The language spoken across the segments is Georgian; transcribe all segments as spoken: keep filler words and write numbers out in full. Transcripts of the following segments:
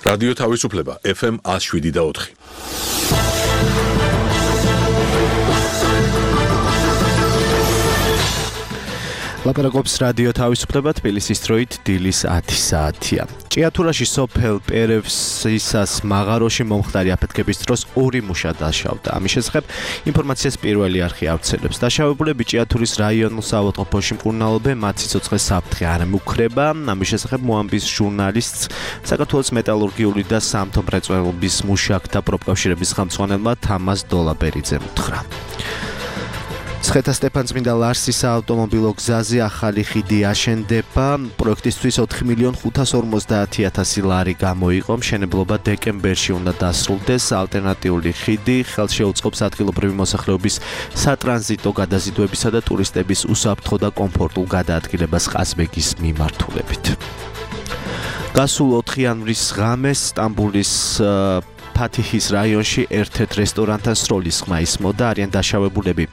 რადიო თავისუფლება ეფ ემ one oh seven და four. ლაპარაკობს რადიო თავისუფლება თბილისის დროით დილის ათი საათია. ჭიათურაში სოფელ პერევსისას მაღაროში მომხდარი აფეთქების დროს ორი მუშა დაშავდა. ამის შესახებ ინფორმაციას პირველი არხი ავრცელებს. დაშავებულები ჭიათურის რაიონულ საავადმყოფოში მკურნალობენ, მათ სიცოცხლე საფრთხე არ ემუქრება. ამის შესახებ მოამბის ჟურნალისტს საქართველოს მეტალურგიული და სამთო მრეწველობის მუშაკთა პროფკავშირების ხელმძღვანელმა თამაზ დოლაბერიძემ უთხრა. ცხეთას-სტეფანწმინდა ლარსის საავტომობილო გზაზე ახალი ხიდი აშენდება. პროექტისთვის ოთხი მილიონი ხუთას ორმოცდაათი ათასი ლარი გამოიყო. მშენებლობა დეკემბერში უნდა დასრულდეს. ალტერნატიული ხიდი ხელს შეუწყობს ადგილობრივი მოსახლეობის სატრანზიტო გადაზიდვებისა და ტურისტების უსაფრთხო და კომფორტულ გადაადგილებას ყაზბეგის მიმართულებით. გასულ ოთხი იანვრის ღამეს სტამბოლის ფათიჰის რაიონში ერთ-ერთ რესტორანთან სროლის ხმა ისმოდა, არიან დაშავებულები.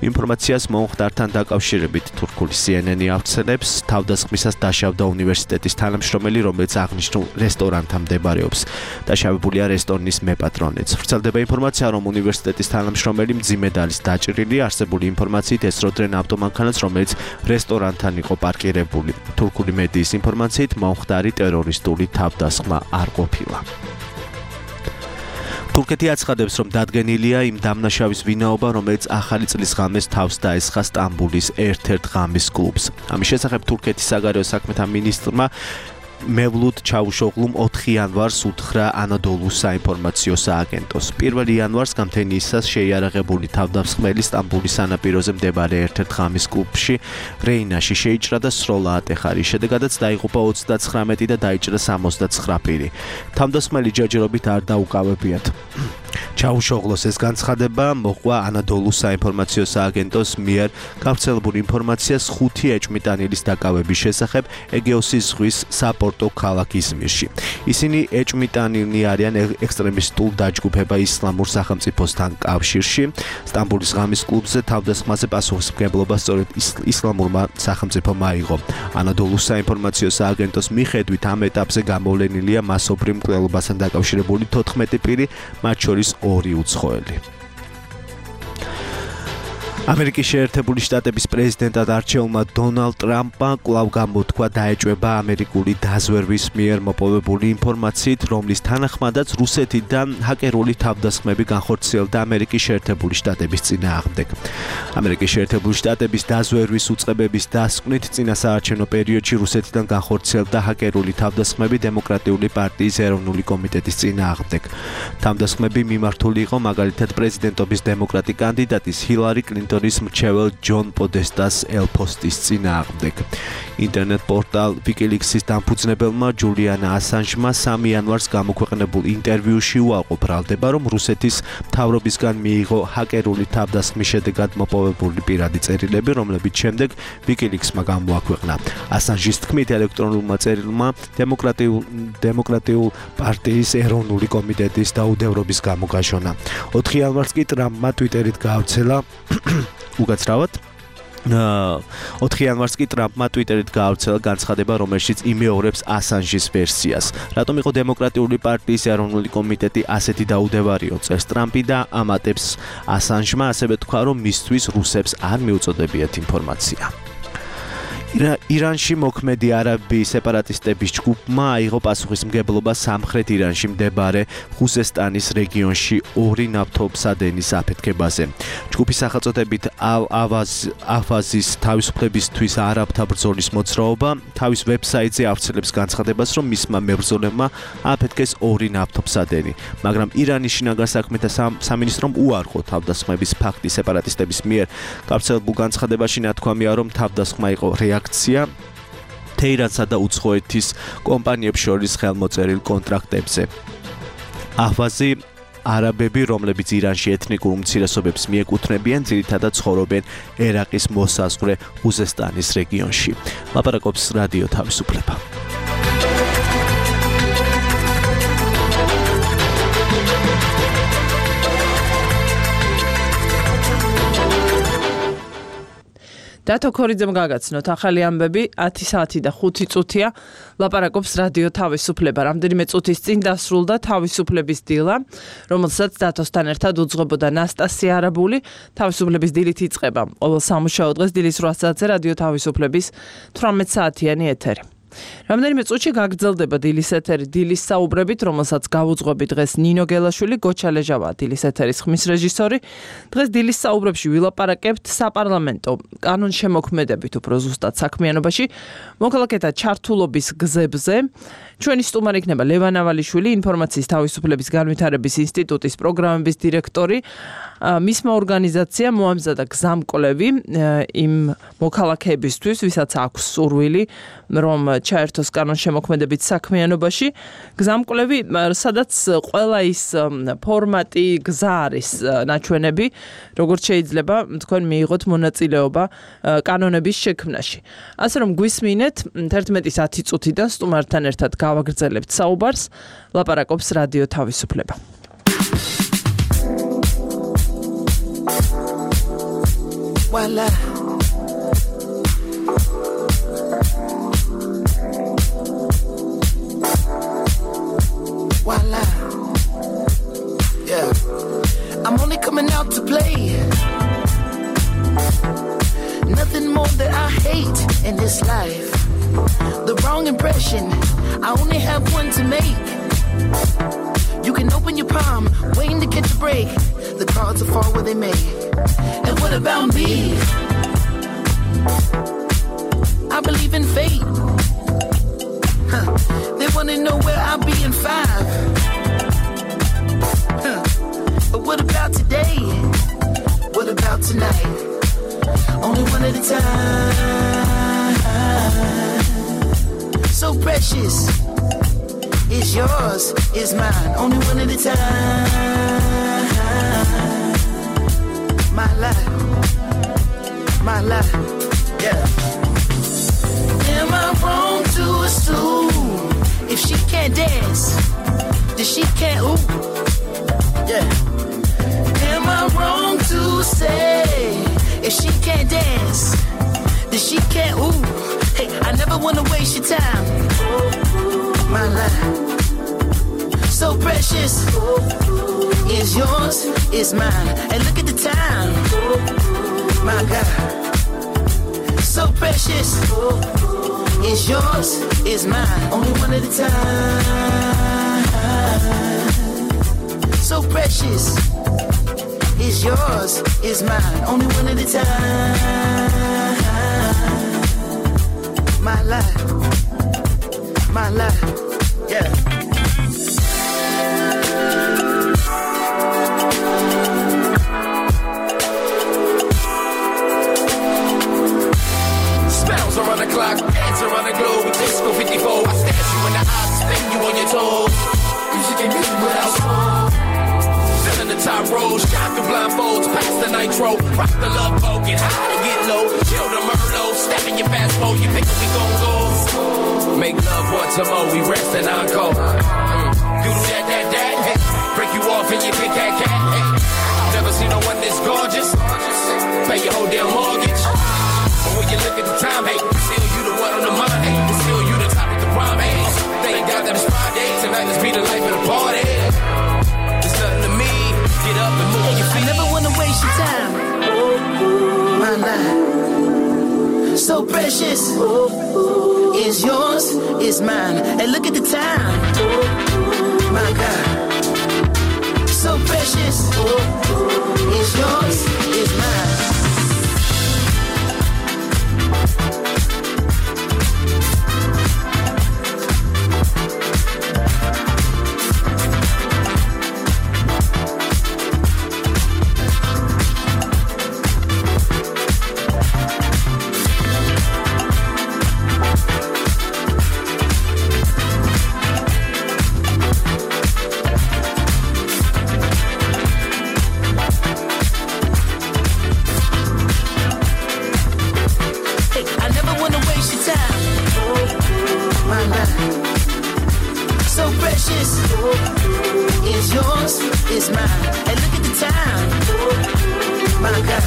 ინფორმაციას მომხდართან დაკავშირებით თურქული სი ენ ენი ავრცელებს, თავდასხმისას დაშავდა უნივერსიტეტის თანამშრომელი, რომელიც აღნიშნულ რესტორანთან მდებარეობს. დაშავებულია რესტორნის მეპატრონეც. ვრცელდება ინფორმაცია, რომ უნივერსიტეტის თანამშრომელი მძიმედ არის დაჭრილი. არსებული ინფორმაციით ესროდნენ ავტომანქანას, რომელიც რესტორანთან იყო პარკირებული. თურქული მედიის ინფორმაციით მომხდარი ტერორისტული თავდასხმა არ ყოფილა. თურქეთი აცხადებს, რომ დადგენილია იმ დამნაშავის ვინაობა, რომელიც ახალი წლის ღამეს თავს დაესხა სტამბოლის ერთ-ერთ ღამის კლუბს. ამის შესახებ თურქეთის საგარეო საქმეთა მინისტრმა მევლუდ ჩავუშოღლუმ ოთხი იანვარს უთხრა ანადოლუს საინფორმაციო სააგენტოს. პირველ იანვარს გამთენიისას შეიარაღებული თავდამსხმელი სტამბოლის სანაპიროზე მდებარე ერთ-ერთ ღამის კლუბში რეინაში შეიჭრა და სროლა ატეხა. რის შედეგადაც დაიღუპა ოცდაცხრამეტი და დაიჭრა სამოცდაცხრა პირი. თავდამსხმელი ჯერჯერობით არ დაუკავებიათ. ჩავუშოღლოს ეს განცხადება მოყვა ანადოლუს საინფორმაციო სააგენტოს მიერ გავრცელებული ინფორმაციას ხუთი ეჭვმიტანილის დაკავების შესახებ ეგეოსის ზღვის საპორტო ქალაქ იზმირში. ისინი ეჭვმიტანილნი არიან ექსტრემისტულ დაჯგუფება ისლამურ სახელმწიფოსთან კავშირში. სტამბოლის ღამის კლუბზე თავდასხმაზე პასუხისმგებლობა სწორედ ისლამურმა სახელმწიფომ აიღო. ანადოლუს საინფორმაციო სააგენტოს მიხედვით ამ ეტაპზე გამოვლენილია მასობრივ მკვლელობასთან დაკავშირებული თოთხმეტი პირი, მათ შორის ორი უცხოელი. ამერიკის შეერთებული შტატების პრეზიდენტად არჩეულმა დონალდ ტრამპმა კვლავ გამოთქვა დაეჭვება ამერიკული დაზვერვის მიერ მოპოვებული ინფორმაციით, რომლის თანახმადაც რუსეთიდან ჰაკერული თავდასხმები განხორციელდა ამერიკის შეერთებული შტატების წინააღმდეგ. ამერიკის შეერთებული შტატების დაზვერვის უწყებების დასკვნით წინასაარჩევნო პერიოდში რუსეთიდან განხორციელდა ჰაკერული თავდასხმები დემოკრატიული პარტიის ეროვნული კომიტეტის წინააღმდეგ. თავდასხმები მიმართული იყო მაგალითად პრეზიდენტობის დემოკრატი კანდიდატის ჰილარი კლინტონის მრჩეველ ჯონ პოდესტას ელფოსტის წინააღმდეგ. ინტერნეტ პორტალ ვიკილიქსის დამფუძნებელმა ჯულიანა ასანჟმა სამი იანვარს გამოქვეყნებულ ინტერვიუში უარყო ბრალდება, რომ რუსეთის მთავრობისგან მიიღო ჰაკერული თავდასხმის შედეგად მოპოვებული პირადი წერილები, რომლებიც შემდეგ ვიკილიქსმა გამოაქვეყნა. ასანჟის თქმით, ელექტრონულმა წერილმა დემოკრატიულ დემოკრატიულ პარტიის ეროვნული კომიტეტის დაუდევრობის გამო გაშონა. ოთხი იანვარს კი ტრამპმა ტვიტერით გაავრცელა უკაცრავად ოთხი იანვარს კი ტრამპმა ტვიტერით გაავრცელა განცხადება, რომელშიც იმეორებს ასანჟის ვერსიას. რატომ იყო დემოკრატიული პარტიის ეროვნული კომიტეტი ასეთი დაუდევარიო, წერს ტრამპი და ამატებს ასანჟმა, ასევე თქვა, რომ მისთვის რუსებს არ მიუწოდებიათ ინფორმაცია. ირანში მოქმედი არაბი სეპარატისტების ჯგუფმა აიღო პასუხისმგებლობა სამხრეთ ირანში მდებარე ხუზესტანის რეგიონში ორი ნავთობსადენის აფეთქებაზე. ჯგუფის სახელწოდებით ალ-ავაზის თავისუფლებისთვის არაბთა ბრძოლის მოძრაობა თავის ვებსაიტზე ავრცელებს განცხადებას, რომ მისმა მებრძოლებმა აფეთქეს ორი ნავთობსადენი, მაგრამ ირანის შინაგან საქმეთა სამინისტრომ უარყო თავდასხმების ფაქტი სეპარატისტების მიერ. გავრცელებულ განცხადებაში ნათქვამია, რომ თავდასხმა იყო რეაქცია თეირანსა და უცხოეთის კომპანიებს შორის ხელმოწერილ კონტრაქტებზე. აჰვაზი არაბები, რომლებიც ირანში ეთნიკურ უმცირესობებს მიეკუთვნებიან, ძირითადად ცხოვრობენ ერაყის მოსაზღვრე ხუზესტანის რეგიონში. ლაპარაკობს რადიო თავისუფლება. დათო ქორიძემ გაგაცნოთ ახალი ამბები ათი საათი და ხუთი წუთია ლაპარაკობს რადიო თავისუფლება. რამდენიმე წუთის წინ დასრულდა თავისუფლების დილა, რომელსაც დათოსთან ერთად უძღვებოდა ნასტასია არაბული. თავისუფლების დილით იწყება ყოველ სამუშაო დღეს დილის რვა საათზე რადიო თავისუფლების თვრამეტ საათიანი ეთერი. რამდენიმე წუთში გაგრძელდება დილის ეთერი დილის საუბრებით, რომელსაც გავუძღვები დღეს ნინო გელაშვილი, გოჩა ლეჟავა დილის ეთერის ხმის რეჟისორი. დღეს დილის საუბრებში ვილაპარაკებთ საპარლამენტო კანონშემოქმედებით, უფრო ზუსტად საქმიანობაში, მოქალაქეთა ჩართულობის გზებზე. ჩვენი სტუმარი იქნება ლევან ავალიშვილი, ინფორმაციის თავისუფლების განვითარების ინსტიტუტის პროგრამების დირექტორი. მისმა ორგანიზაცია მოამზადა გზამკვლევი იმ მოქალაქეებისთვის, ვისაც აქვს სურვილი, რომ ჩაერთოს კანონშემოქმედებით საქმიანობაში. გზამკვლევი, სადაც ყველა ის ფორმატი, გზა არის ნაჩვენები, როგორც შეიძლება თქვენ მიიღოთ მონაწილეობა კანონების შექმნაში. ასე რომ გვისმინეთ თერთმეტის ათი წუთიდან სტუმართან ერთად გავაგრძელებთ საუბარს, ლაპარაკობს რადიო თავისუფლება. Voila. Voila. Yeah. I'm only coming out to play. Nothing more that I hate in this life. The wrong impression, I only have one to make. You can open your palm, waiting to catch a break. The cards will fall where they may. And what about me? I believe in fate. Huh. They wanna know where I'll be in five. Huh. But what about today? What about tonight? Only one at a time. So precious. It's yours, it's mine. Only one at a time. My life, my life, yeah. Am I wrong to assume if she can't dance, that she can't ooh? Yeah. Am I wrong to say if she can't dance, that she can't ooh? Hey, I never wanna waste your time. My life, so precious. Is yours, is mine. And look at the time. My God, so precious. Is yours, is mine. Only one at a time. So precious. Is yours, is mine. Only one at a time. My life, my life, yeah. Around the clock, dance around the globe with disco fifty-four. I stash you in the eyes, spin you on your toes. Music ain't music without soul. Filling the top rows, shine through blindfolds, pass the nitro, rock the love boat, get high to get low, chill the Merlot, step in your fast mode, you pick up, we gon' go. Make love once a more, we rest and encore. Do that, that, that, hey. Break you off and you pick that cat. Hey. Never seen no one this gorgeous. Pay your whole damn mortgage. When you look at the time, hey, still you the one on the mind, hey, still you the topic of prime, hey. Thank God that it's Friday, tonight let's be the life of the party. There's nothing to me, get up and move on your feet. I never wanna waste your time. My life, so precious. Is yours, is mine. And look at the time. My God, so precious. Is yours, is mine. Is mine, and look at the time. My God,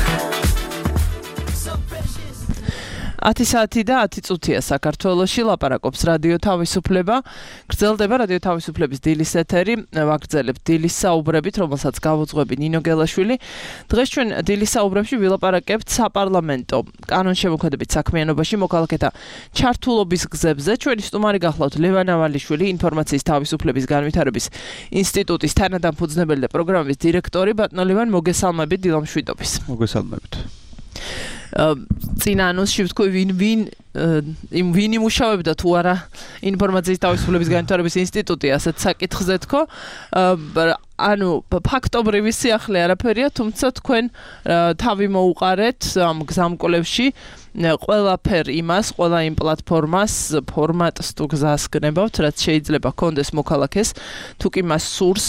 so precious. ათი საათი და ათი წუთია საქართველოში ლაპარაკობს რადიო თავისუფლება. გრძელდება რადიო თავისუფლების დილის ეთერი. ვაგრძელებთ დილის საუბრებით, რომელსაც გავუძღვები ნინო გელაშვილი. დღეს ჩვენ დილის საუბრებში ვილაპარაკებთ საპარლამენტო კანონშემოქმედებით საქმიანობაში მოქალაქეთა ჩართულობის გზებზე. ჩვენი სტუმარი გახლავთ ლევან ავალიშვილი, ინფორმაციის თავისუფლების განვითარების ინსტიტუტის თანადამფუძნებელი და პროგრამის დირექტორი. ბატონო ლევან, მოგესალმებით დილამშვიდობის. მოგესალმებით. წინა ანონსში ვთქვი ვინ ვინ იმ ვინ იმუშავებდა თუ არა ინფორმაციის თავისუფლების განვითარების ინსტიტუტი, ასეთ საკითხზე თქო. ანუ ფაქტობრივი სიახლე არაფერია, თუმცა თქვენ თავი მოუყარეთ ამ გზამკვლევში ყველაფერ იმას, ყველა იმ პლატფორმას, ფორმატს თუ გზას გნებავთ, რაც შეიძლება კონდეს მოქალაქეს, თუ კი მას სურს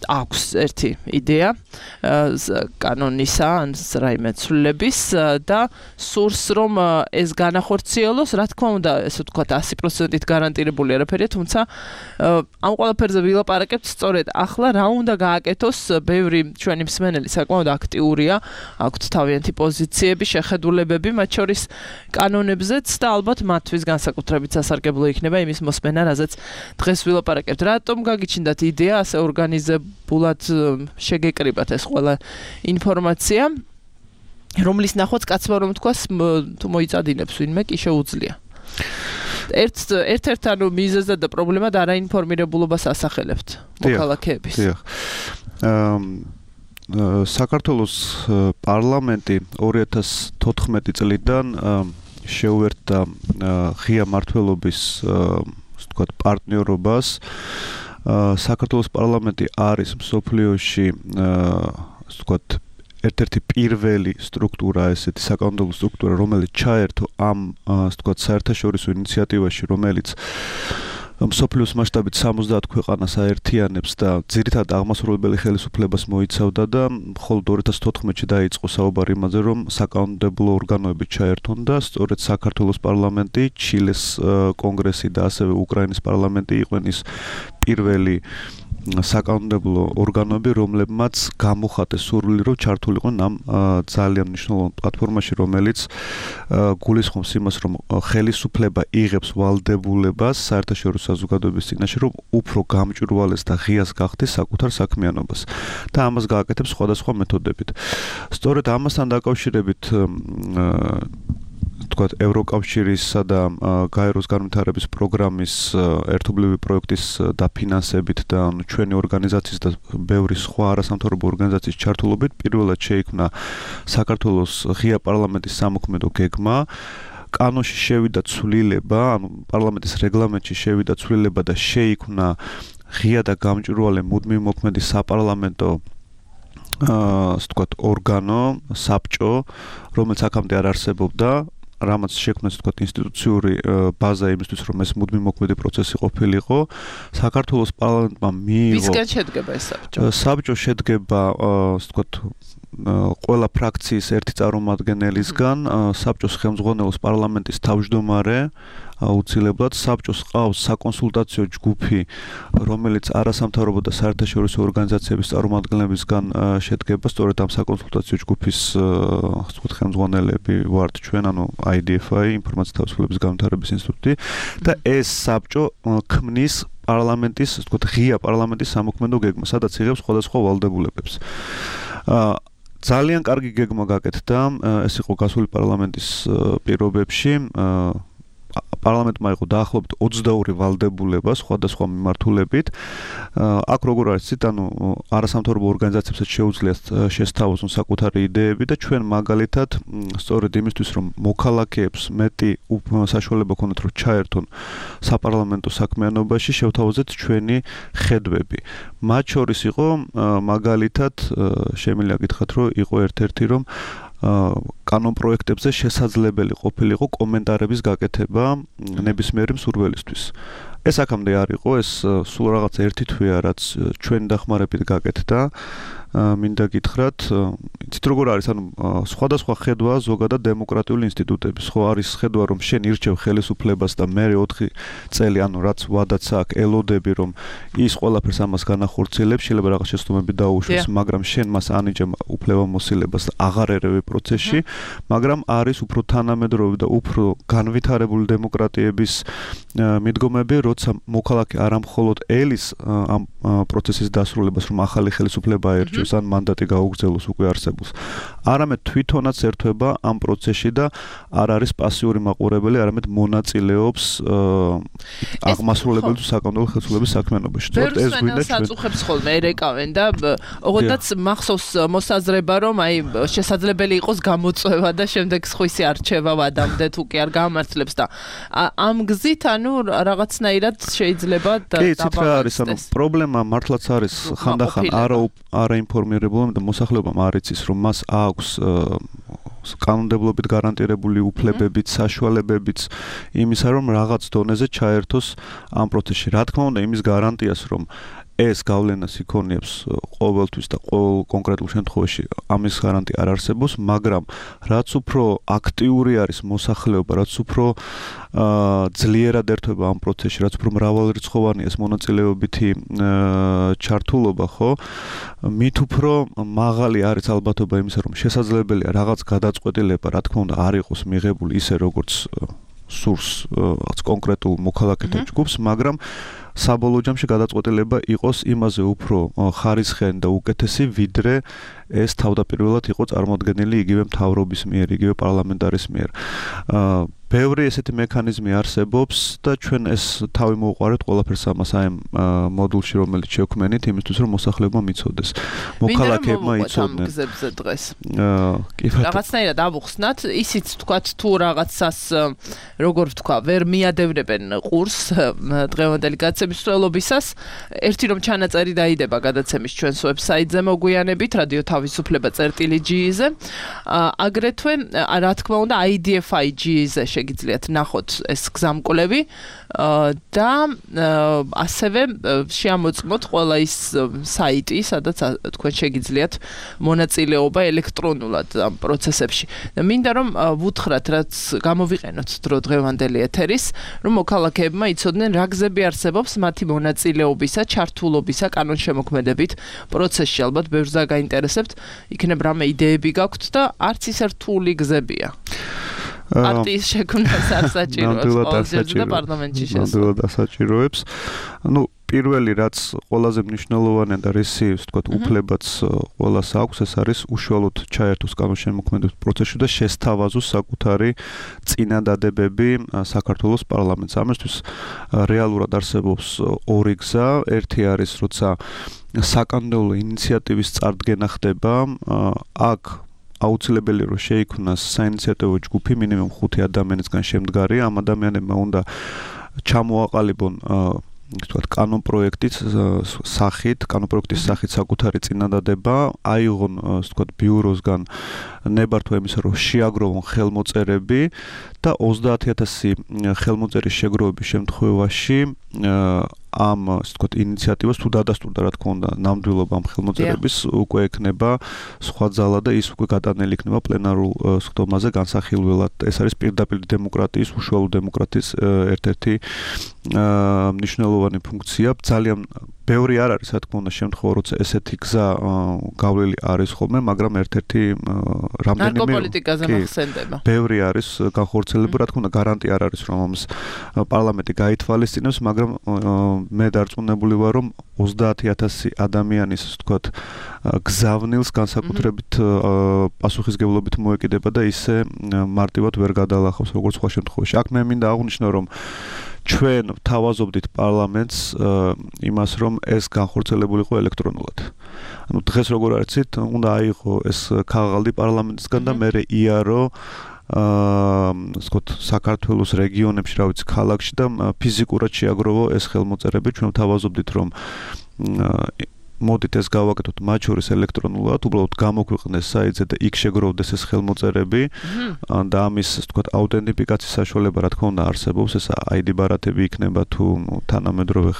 აქვს ერთი იდეა კანონისა, ან რაიმე ცვლილების და სურს რომ ეს განახორციელოს, რა თქმა უნდა, ესე ვთქვათ, ასი პროცენტით გარანტირებული არაფერია, თუმცა ამ ყველაფერზე ვილაპარაკებთ სწორედ ახლა რა უნდა გააკეთოს. ბევრი ჩვენი მსმენელი საკმაოდ აქტიურია, აქვთ თავიანთი პოზიციები, შეხედულებები, მათ შორის კანონებზეც და ალბათ მათთვის განსაკუთრებით სასარგებლო იქნება იმის მოსმენა, რაზეც დღეს ვილაპარაკებთ. რატომ გაგიჩნდათ იდეა ასე ორგანიზებულად შეგეკრიბათ ეს ყველა ინფორმაცია, რომლის ნახვაც კაცმა რომ თქვას თუ მოიწადინებს ვინმე კი შეუძლია. ერთ ერთ-ერთ ანუ მიზეზად და პრობლემად არაინფორმირებულობას ასახელებთ მოქალაქეების. დიახ. საქართველოს პარლამენტი ორი ათას თოთხმეტი წლიდან შეუერთდა ღია მმართველობის ასე ვთქვათ პარტნიორობას. საქართველოს პარლამენტი არის მსოფლიოში ასე ვთქვათ ერთ-ერთი პირველი სტრუქტურა, ესეთი საკანონმდებლო სტრუქტურა, რომელიც ჩაერთო ამ ასე ვთქვათ საერთაშორისო ინიციატივაში, რომელიც მსოფლიოს მასშტაბით სამოცდაათ ქვეყანას აერთიანებს და ძირითადად აღმასრულებელი ხელისუფლებას მოიცავდა და მხოლოდ ორი ათას თოთხმეტში დაიწყო საუბარი იმაზე, რომ საკანონმდებლო ორგანოები ჩაერთონ და სწორედ საქართველოს პარლამენტი, ჩილეს კონგრესი და ასევე უკრაინის პარლამენტი იყვნენ ის პირველი საკანონმდებლო ორგანოები, რომლებმაც გამოხატეს სურვილი, რომ ჩართულიყვნენ ამ ძალიან მნიშვნელოვან პლატფორმაში, რომელიც გულისხმობს იმას, რომ ხელისუფლება იღებს ვალდებულებას საერთაშორისო საზოგადოების წინაშე, რომ უფრო გამჭვირვალეს და ღიას გახდეს საკუთარ საქმიანობას და ამას გააკეთებს სხვადასხვა მეთოდებით. სწორედ ამასთან დაკავშირებით თქვათ ევროკავშირისა და გაეროს განვითარების პროგრამის ერთობლივი პროექტის დაფინანსებით და ჩვენი ორგანიზაციის და ბევრი სხვა არასამთავრობო ორგანიზაციის ჩართულობით პირველად შეიქმნა საქართველოს ღია პარლამენტის სამოქმედო გეგმა. კანონში შევიდა ცვლილება, ანუ პარლამენტის რეგლამენტში შევიდა ცვლილება და შეიქმნა ღია და გამჭვირვალე მუდმივი მოქმედი საპარლამენტო ასე ვთქვათ ორგანო, საბჭო, რომელიც აქამდე არ არსებობდა. რამაც შექმნეს თქვათ ინსტიტუციური ბაზა იმისთვის, რომ ეს მუდმივი მოქმედი პროცესი ყოფილიყო. საქართველოს პარლამენტმა მიიღო. ვისგან შედგება ეს საბჭო? საბჭო შედგება, ასე ვთქვათ, ყველა ფრაქციის ერთი წარმომადგენელისგან, საბჭოს ხელმძღვანელობს პარლამენტის თავმჯდომარე, აუცილებლად საბჭოს ყავს საკონსულტაციო ჯგუფი, რომელიც არასამთავრობო და საერთაშორისო ორგანიზაციების წარმომადგენლებისგან შედგება. სწორედ ამ საკონსულტაციო ჯგუფის ასე ვთქვათ ხელმძღვანელები ვართ ჩვენ, ანუ აი დი ეფ აი, ინფორმაციის თავისუფლების განვითარების ინსტიტუტი და ეს საბჭო ქმნის პარლამენტის, ასე ვთქვათ, ღია პარლამენტის სამოქმედო გეგმას, სადაც იღებს სხვადასხვა ვალდებულებებს. ძალიან კარგი გეგმა გაკეთდა, ეს იყო გასული პარლამენტის პირობებში. პარლამენტმა იყო დაახლოებით ოცდაორი ვალდებულება სხვადასხვა მიმართულებით. აქ როგორ არის ცით, ანუ არასამთავრობო ორგანიზაციებსაც შეუძლიათ შესთავაზონ საკუთარი იდეები და ჩვენ მაგალითად სწორედ იმისთვის, რომ მოქალაქეებს მეტი საშუალება ქონდეთ, რომ ჩაერთონ საპარლამენტო საქმიანობაში, შევთავაზეთ ჩვენი ხედვები. მათ შორის იყო მაგალითად, შემიძლია გითხრათ, რომ იყო ერთ-ერთი, რომ კანონ პროექტებზე შესაძლებელი ყოფილიყო კომენტარების გაკეთება ნებისმიერი მსურველისთვის. ეს აქამდე არ იყო, ეს სულ რაღაც ერთი თვეა, რაც ჩვენ დახმარებით გაკეთდა მინდა გითხრათ, იცით როგორ არის, ანუ სხვადასხვა ხედვაა ზოგადად დემოკრატიული ინსტიტუტების. ხო არის ხედვა, რომ შენ ირჩევ ხელისუფლებას და მე ოთხი წელი, ანუ რაც ვადაც აქვს, ელოდები, რომ ის ყველაფერს ამას განახორციელებს, შეიძლება რაღაც შეცდომები დაუშვეს, მაგრამ შენ მას ანიჭებ უფლებამოსილებას და აღარ ერევი პროცესში, მაგრამ არის უფრო თანამედროვე და უფრო განვითარებული დემოკრატიების მიდგომები, როცა მოქალაქე არა მხოლოდ ელის ამ პროცესის დასრულებას, რომ ახალი ხელისუფლება აერჩიოს ან მანდატი გაუგრძელოს უკვე არსებულს. არამედ თვითონაც ერთვება ამ პროცესში და არ არის პასიური მაყურებელი, არამედ მონაწილეობს აღმასრულებელი თუ საკანონმდებლო ხელისუფლების საქმიანობაში. სწორედ ეს გვინდა ჩვენ. საწუხებს ხოლმე ერეკავენ და ოღონდაც მახსოვს მოსაზრება, რომ აი შესაძლებელი იყოს გამოწვევა და შემდეგ სხვისი არჩევა ვადამდე თუ კი არ გამართლებს და ამ გზით ანუ რაღაცნაირად შეიძლება და კი, იცით რა არის, ანუ პრობლემა მართლაც არის ხანდახან არა არა ინფორმირებულობა და მოსახლეობამ არ იცის, რომ მას აქვს კანონმდებლობით გარანტირებული უფლებებიც, საშუალებებიც იმისა, რომ რაღაც დონეზე ჩაერთოს ამ პროცესში. რა თქმა უნდა, იმის გარანტიას, რომ ეს გავლენას იქონიებს ყოველთვის და ყოველ კონკრეტულ შემთხვევაში ამის გარანტია არ არსებობს, მაგრამ რაც უფრო აქტიური არის მოსახლეობა, რაც უფრო ძლიერად ერთვება ამ პროცესში, რაც უფრო მრავალრიცხოვანია ეს მონაწილეობითი ჩართულობა, ხო? მით უფრო მაღალი არის ალბათობა იმისა, რომ შესაძლებელია რაღაც გადაწყვეტილება, რა თქმა უნდა, არ იყოს მიღებული ისე, როგორც სურს რაღაც კონკრეტულ მოქალაქეთა ჯგუფს, მაგრამ საბოლოო ჯამში გადაწყვეტილება იყოს იმაზე უფრო ხარისხიანი და უკეთესი, ვიდრე ეს თავდაპირველად იყო წარმოდგენილი იგივე მთავრობის მიერ, იგივე პარლამენტარის მიერ. ბევრი ესეთი მექანიზმი არსებობს და ჩვენ ეს თავი მოვუყარეთ ყველაფერს ამას აი ამ მოდულში, რომელიც შევქმნით, იმისთვის რომ მოსახლეობა მიცოდეს. მოქალაქეებმა იცოდნენ. გზებზე დღეს. რაღაცნაირად ავუხსნათ, ისიც თქვათ თუ რაღაცას როგორ ვთქვა, ვერ მიადევნებენ ყურს დღევანდელი გადაცემის მსვლელობისას. ერთი რომ ჩანაწერი დაიდება გადაცემის ჩვენს ვებსაიტზე მოგვიანებით, რადიო თავისუფლება წერტილი ჯი-ზე. აგრეთვე, რა თქმა უნდა, აი დი ეფ აი ჯი-ზე შეგიძლიათ ნახოთ ეს გზამკვლევი და ასევე შეამოწმოთ ყველა ის საიტი, სადაც თქვენ შეგიძლიათ მონაწილეობა ელექტრონულად ამ პროცესებში. და მინდა რომ ვუთხრათ, რაც გამოვიყენოთ დრო დღევანდელი ეთერის, რომ მოქალაქეებმა იცოდნენ რა გზები არსებობს მათი მონაწილეობისა, ჩართულობისა კანონშემოქმედებით პროცესში. ალბათ ბევრს გაინტერესებთ, იქნებ რამე იდეები გაქვთ და არც ისე რთული გზებია. პარტიის შექმნას არ საჭიროებს და პარლამენტში შესვლა. ნამდვილად ასაჭიროებს. ну პირველი რაც ყველაზე მნიშვნელოვანია და რისი, ვთქვათ, უფლებაც ყველას აქვს, ეს არის უშუალოდ ჩაერთოს კანონშემოქმედების პროცესში და შესთავაზოს საკუთარი წინადადებები საქართველოს პარლამენტს. ამისთვის რეალურად არსებობს ორი გზა. ერთი არის, როცა საკანონმდებლო ინიციატივის წარდგენა ხდება, აქ აუცილებელი რომ შეიქმნას საინიციატივო ჯგუფი მინიმუმ ხუთი ადამიანისგან შემდგარი. ამ ადამიანებმა უნდა ჩამოაყალიბონ ვთქვათ, კანონპროექტის სახით, კანონპროექტის სახით საკუთარი წინადადება, აიღონ, ვთქვათ, ბიუროსგან ნებართვა იმისა, რომ შეაგროვონ ხელმოწერები და ოცდაათი ათასი ხელმოწერის შეგროვების შემთხვევაში ამ, ასე ვთქვათ, ინიციატივას თუ დადასტურდა, რა თქმა უნდა, ნამდვილობა ამ ხელმოწერების უკვე ექნება სხვა ძალა და ის უკვე გადანელი იქნება პლენარულ სხდომაზე განსახილველად. ეს არის პირდაპირ დემოკრატიის, უშუალო დემოკრატიის ერთ-ერთი მნიშვნელოვანი ფუნქცია. ძალიან ბევრი არ არის, რა თქმა უნდა, შემთხვევა, როცა ესეთი გზა გავლილი არის ხოლმე, მაგრამ ერთ-ერთი რამდენიმე ნარკოპოლიტიკაზე მახსენდება. ბევრი არის განხორციელებული, რა თქმა უნდა, გარანტია არ არის, რომ ამას პარლამენტი გაითვალისწინებს, მაგრამ მე დარწმუნებული ვარ, რომ ოცდაათი ათასი ადამიანის, ვთქვათ, გზავნილს განსაკუთრებით პასუხისგებლობით მოეკიდება და ისე მარტივად ვერ გადალახავს როგორც სხვა შემთხვევაში. აქ მე მინდა აღვნიშნო, რომ ჩვენ ვთავაზობდით პარლამენტს იმას, რომ ეს განხორციელებული იყო ელექტრონულად. ანუ დღეს როგორ არიცით, უნდა აიღო ეს ქაღალდი პარლამენტისგან და მერე იარო აა ვთქვათ, საქართველოს რეგიონებში, რა ვიცი, ქალაქში და ფიზიკურად შეაგროვო ეს ხელმოწერები. ჩვენ ვთავაზობდით, რომ მოდით ეს გავაკეთოთ მათ შორის ელექტრონულად, უბრალოდ გამოგვიყნეს საიტზე და იქ შეგროვდეს ეს ხელმოწერები და ამის, ასე ვთქვათ, აუთენტიფიკაციის საშუალება რა თქმა უნდა არსებობს, ეს აი დი ბარათები იქნება თუ თანამედროვე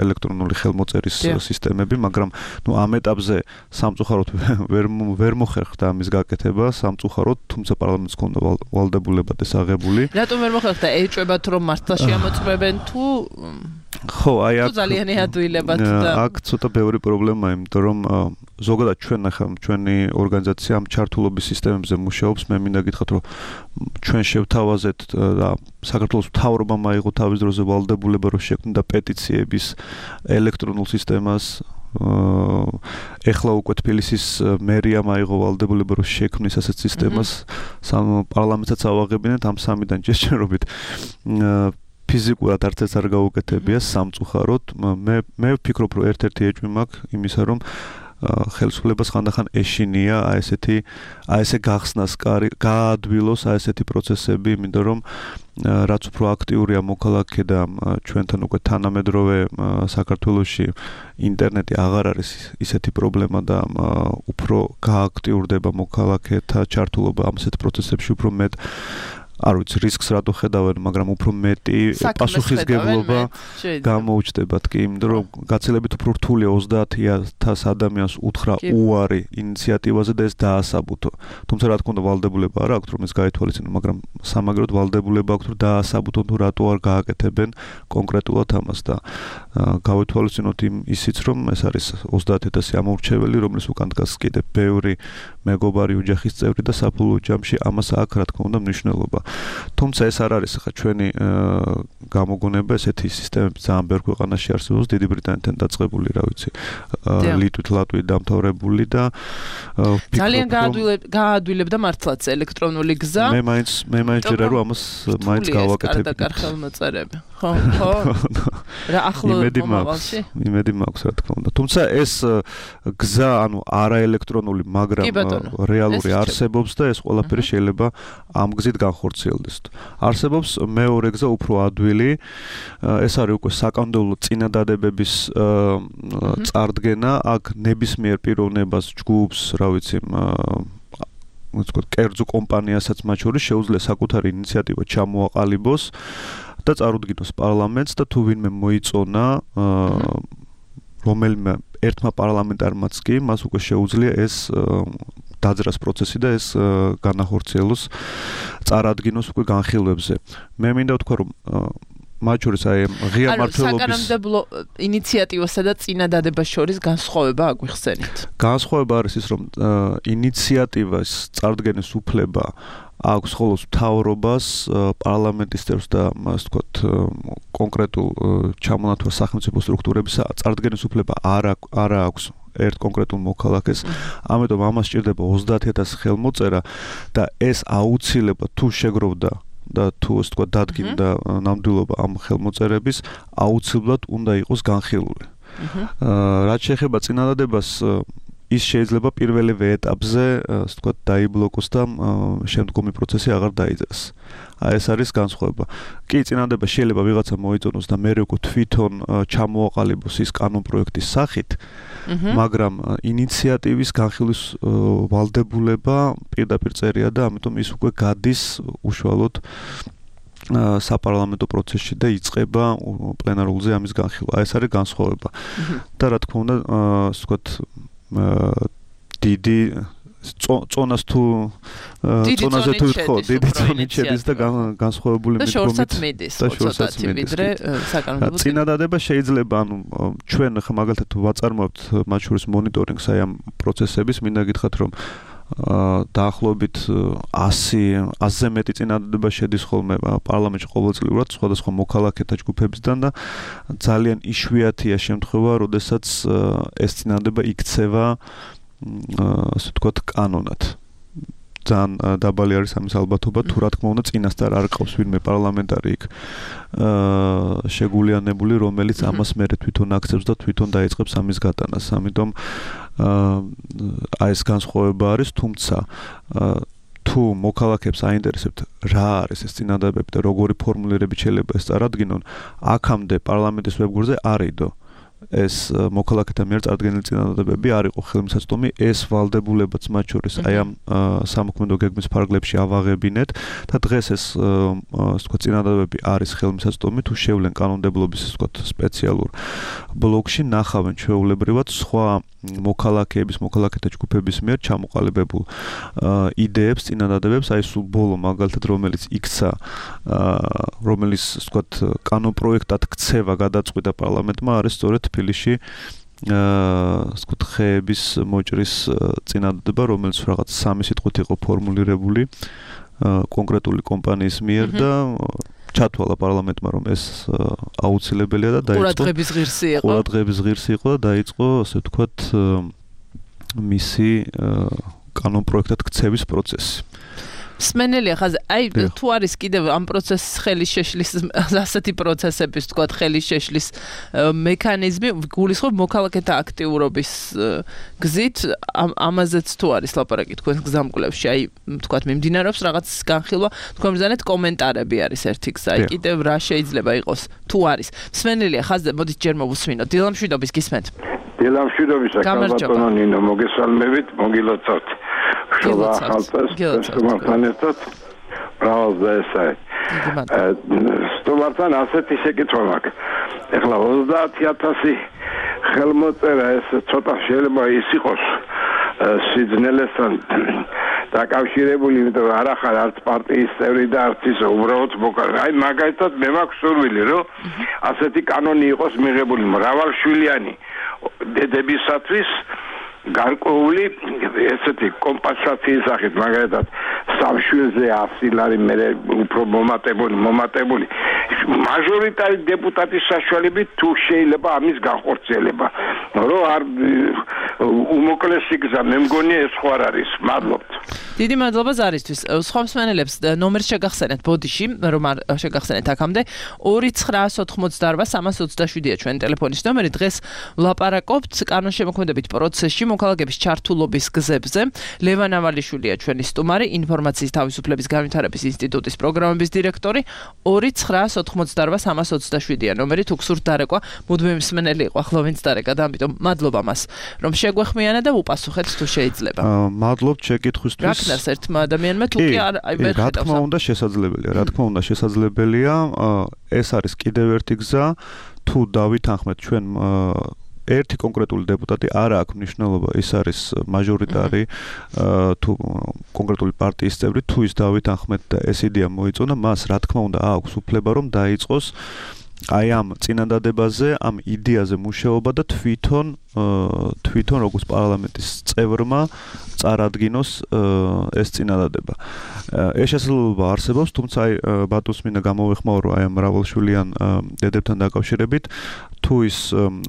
ელექტრონული ხელმოწერის სისტემები, მაგრამ ნუ ამ ეტაპზე სამწუხაროდ ვერ ვერ მოხერხდა ამის გაკეთება, სამწუხაროდ, თუმცა პარლამენტს ჰქონდა ვალდებულება და საღებული. რატომ ვერ მოხერხდა? ეჭვებათ რომ მართლა შეამოწმებენ თუ ხო, აი აქ ძალიან ადვილებად და აქ ცოტა ბევრი პრობლემაა, იმიტომ რომ ზოგადად ჩვენ ახლა ჩვენი ორგანიზაცია ამ ჩართულობის სისტემებზე მუშაობს, მე მინდა გითხრათ, რომ ჩვენ შევთავაზეთ და საქართველოს მთავრობამ აიღო თავის დროზე ვალდებულება, რომ შექმნიდა პეტიციების ელექტრონულ სისტემას. ეხლა უკვე თბილისის მერიამ აიღო ვალდებულება, რომ შექმნის ასეთ სისტემას, პარლამენტსაც ავაღებინეთ ამ სამიდან ჯერჯერობით. ფიზიკურად არც ეს არ გაუკეთებია სამწუხაროდ. მე მე ვფიქრობ, რომ ერთ-ერთი ეჭვი მაქვს იმისა, რომ ხელისუფლებას ხანდახან ეშინია აი ესეთი აი ესე გახსნას კარი გაადვილოს აი ესეთი პროცესები, იმიტომ რომ რაც უფრო აქტიურია მოქალაქე და ჩვენთან უკვე თანამედროვე საქართველოში ინტერნეტი აღარ არის ისეთი პრობლემა და უფრო გააქტიურდება მოქალაქეთა ჩართულობა ამ ესეთ პროცესებში, უფრო მეტ არ ვიცი რისკს რატო ხედავენ, მაგრამ უფრო მეტი პასუხისგებლობა გამოუჩნდებათ კი, იმიტომ რომ გაცილებით უფრო რთულია ოცდაათი ათას ადამიანს უთხრა უარი ინიციატივაზე და ეს დაასაბუთო. თუმცა რა თქმა უნდა ვალდებულება არ აქვს რომ ეს გაითვალისწინონ, მაგრამ სამაგეროდ ვალდებულება აქვს რომ დაასაბუთონ თუ რატო არ გააკეთებენ კონკრეტულად ამას და გავითვალისწინოთ ისიც რომ ეს არის ოცდაათი ათასი ამორჩეველი, რომლის უკან დგას კიდე ბევრი მეგობარი ოჯახის წევრი და საფულო ჯამში ამას აქვს რა თქმა უნდა მნიშვნელობა. თუმცა ეს არ არის ხა ჩვენი გამოგონება, ესეთი სისტემები ძალიან ბევრ ქვეყანაში არსებობს, დიდი ბრიტანეთთან დაწყებული, რა ვიცი, ლიტვით, ლატვიით დამთავრებული და ძალიან გაადვილებდა მართლაც ელექტრონული გზა. მე მაინც მე მაინც ჯერა რომ ამას მაინც გავაკეთებ. ხელმოწერები. ხო, ხო. რა ახლო მომავალში? იმედი მაქვს რა თქმა უნდა. თუმცა ეს გზა, ანუ არაელექტრონული, მაგრამ რეალური არსებობს და ეს ყველაფერი შეიძლება ამ გზით განხორციელდეს. არსებობს მეორე გზა უფრო ადვილი, ეს არის უკვე საკანონმდებლო წინადადებების წარდგენა, აქ ნებისმიერ პიროვნებას, ჯგუფს, რა ვიცი, ვთქვათ, კერძო კომპანიასაც მათ შორის შეუძლია საკუთარი ინიციატივა ჩამოაყალიბოს და წარუდგინოს პარლამენტს და თუ ვინმე მოიწონა რომელიმე ერთმა პარლამენტარმაც კი მას უკვე შეუძლია ეს დაძრას პროცესი და ეს განახორციელოს წარადგინოს უკვე განხილვებზე. მე მინდა ვთქვა რომ მათ შორის აი ღია მმართველობის საკანონმდებლო ინიციატივასა და წინადადებას შორის განსხვავება აგვიხსენით. განსხვავება არის ის რომ ინიციატივას წარდგენის უფლება აქვს ხოლოს მთავრობას, პარლამენტის წევრს და ასე ვთქვათ კონკრეტულ ჩამონათვალ სახელმწიფო სტრუქტურების წარდგენის უფლება არ არ აქვს ერთ კონკრეტულ მოქალაქეს, ამიტომ ამას სჭირდება ოცდაათი ათასი ხელმოწერა და ეს აუცილებლად თუ შეგროვდა და თუ ასე ვთქვათ დადგინდა ნამდვილობა ამ ხელმოწერების, აუცილებლად უნდა იყოს განხილული. რაც შეეხება წინადადებას, ის შეიძლება პირველივე ეტაპზე, ასე ვთქვათ, დაიბლოკოს და შემდგომი პროცესი აღარ დაიძრას. აი ეს არის განსხვავება. კი, წინადადება შეიძლება ვიღაცა მოიწონოს და მერე უკვე თვითონ ჩამოაყალიბოს ის კანონპროექტის სახით, მაგრამ ინიციატივის განხილვის ვალდებულება პირდაპირ წერია და ამიტომ ის უკვე გადის უშუალოდ საპარლამენტო პროცესში და იწყება პლენარულზე ამის განხილვა. ეს არის განსხვავება. და რა თქმა უნდა, ასე ვთქვათ, დიდი წონას თუ წონაზე თუ ხო დიდი წონით შედის და განსხვავებული მიდგომით და შორსაც ვიდრე საკანონმდებლო წინადადება შეიძლება, ანუ ჩვენ ხა მაგალითად ვაწარმოებთ მათ შორის მონიტორინგს აი ამ პროცესების, მინდა გითხრათ რომ დაახლოებით ასი ათზე მეტი წინადადება შედის ხოლმე პარლამენტში ყოველწლიურად სხვადასხვა მოქალაქეთა ჯგუფებისგან და ძალიან იშვიათია შემთხვევა, როდესაც ეს წინადადება იქცევა ასე ვთქვათ კანონად. ძალიან დაბალი არის ამის ალბათობა, თუ რა თქმა უნდა წინასწარ არ ყავს ვინმე პარლამენტარი იქ შეგულიანებული, რომელიც ამას მერე თვითონ აქცევს და თვითონ დაიწყებს ამის გატანას. ამიტომ აი ეს განსხვავება არის, თუმცა თუ მოქალაქეებს აინტერესებთ რა არის ეს წინადადებები და როგორი ფორმულირებით შეიძლება ეს წარადგინონ, აქამდე პარლამენტის ვებგვერდზე არ იდო ეს მოქალაქეთა მიერ წარდგენილი წინადადებები არ იყო ხელმისაწვდომი, ეს ვალდებულებაც მათ შორის აი ამ სამოქმედო გეგმის ფარგლებში ავაღებინეთ და დღეს ეს ასე ვთქვათ წინადადებები არის ხელმისაწვდომი, თუ შევლენ კანონმდებლობის ასე ვთქვათ სპეციალურ ბლოკში ნახავენ ჩვეულებრივად სხვა მოქალაქეების, მოქალაქეთა ჯგუფების მიერ ჩამოყალიბებულ იდეებს, წინადადებებს, აი სულ ბოლო მაგალითად რომელიც იქცა, რომელიც ასე ვთქვათ კანონპროექტად ქცევა გადაწყვიტა პარლამენტმა, არის სწორედ თბილისში ასე ვთქვათ ხეების მოჭრის წინადადება, რომელიც რაღაც სამი სიტყვით იყო ფორმულირებული კონკრეტული კომპანიის მიერ და ჩათვალა პარლამენტმა, რომ ეს აუცილებელია და დაიწყო ყურადღების ღირსი იყო. ყურადღების ღირსი იყო და დაიწყო, ასე ვთქვათ, მისი კანონპროექტად ქცევის პროცესი. მსმენელია ხაზ, აი თუ არის კიდევ ამ პროცესის ხელის შეშლის ასეთი პროცესების, თქვათ, ხელის შეშლის მექანიზმი, გულისხმობ მოქალაქეთა აქტიურობის გზით, ამაზეც თუ არის ლაპარაკი თქვენ გზამკვლევში, აი თქვათ, მიმდინარეობს რაღაც განხილვა, თქვენ ბრძანეთ კომენტარები არის ერთი გზა, აი კიდევ რა შეიძლება იყოს, თუ არის. მსმენელია ხაზ, მოდით ჯერ მოვუსმინოთ. დილამშვიდობის გისმენთ. დილამშვიდობისა, კალბატონო ნინო, მოგესალმებით, მოგილოცავთ. შობა ახალწელს, სტუმართან ერთად ბრავალს და ესაა. სტუმართან ასეთი შეკითხვა მაქვს. ეხლა ოცდაათი ათასი ხელმოწერა ეს ცოტა შეიძლება ის იყოს სიძნელესთან დაკავშირებული, იმიტომ არ ახარ არც პარტიის წევრი და არც ის უბრალოდ მოქალაქე. აი მაგალითად მე მაქვს სურვილი, რომ ასეთი კანონი იყოს მიღებული მრავალშვილიანი დედებისათვის გარკვეული ესეთი კომპენსაციის სახით, მაგალითად სამშვილზე ასი ლარი მე უფრო მომატებული, მომატებული მაჟორიტარი დეპუტატის საშუალებით თუ შეიძლება ამის განხორციელება, რომ არ უმოკლესი გზა, მე მგონია ეს ხო არ არის. მადლობთ. დიდი მადლობა ზარისთვის. სხვა მსმენელებს ნომერს შეგახსენეთ ბოდიში, რომ არ შეგახსენეთ აქამდე ორი ცხრაას ოთხმოცდაორვა სამას ოცდაშვიდია ჩვენ ტელეფონის ნომერი. დღეს ვლაპარაკობთ კანონშემოქმედებით პროცესში მოქალაქეების ჩართულობის გზებზე. ლევან ავალიშვილია ჩვენი სტუმარი, ინფორმაციის თავისუფლების განვითარების ინსტიტუტის პროგრამების დირექტორი. ორი ცხრაას ოთხმოცდაორვა სამას ოცდაშვიდია ნომერი, თუ გსურთ დარეკვა, მუდმივი მსმენელი იყო, ახლა ვინც დარეკა და ამიტომ მადლობა მას, რომ შეგვეხმიანა და უპასუხეთ თუ შეიძლება. მადლობთ შეკითხვისთვის. რა ქნას ერთმა ადამიანმა თუ კი არ აი ვერ ხედავს. რა თქმა უნდა შესაძლებელია, რა თქმა უნდა შესაძლებელია. ეს არის კიდევ ერთი გზა, თუ დავითანხმეთ ჩვენ ერთი კონკრეტული დეპუტატი არ აქვს მნიშვნელობა, ის არის მაჟორიტარი თუ კონკრეტული პარტიის წევრი, თუ ის დავითანხმეთ და ეს იდეა მოიწონა, მას რა თქმა უნდა აქვს უფლება რომ დაიწყოს აი ამ წინადადებაზე, ამ იდეაზე მუშაობა და თვითონ თვითონ როგორც პარლამენტის წევრმა წარადგინოს ეს წინადადება. ეს შესაძლებლობა არსებობს, თუმცა აი ბატონს მინდა გამოვეხმაურო აი ამ მრავალშვილიან დედებთან დაკავშირებით, თუ ის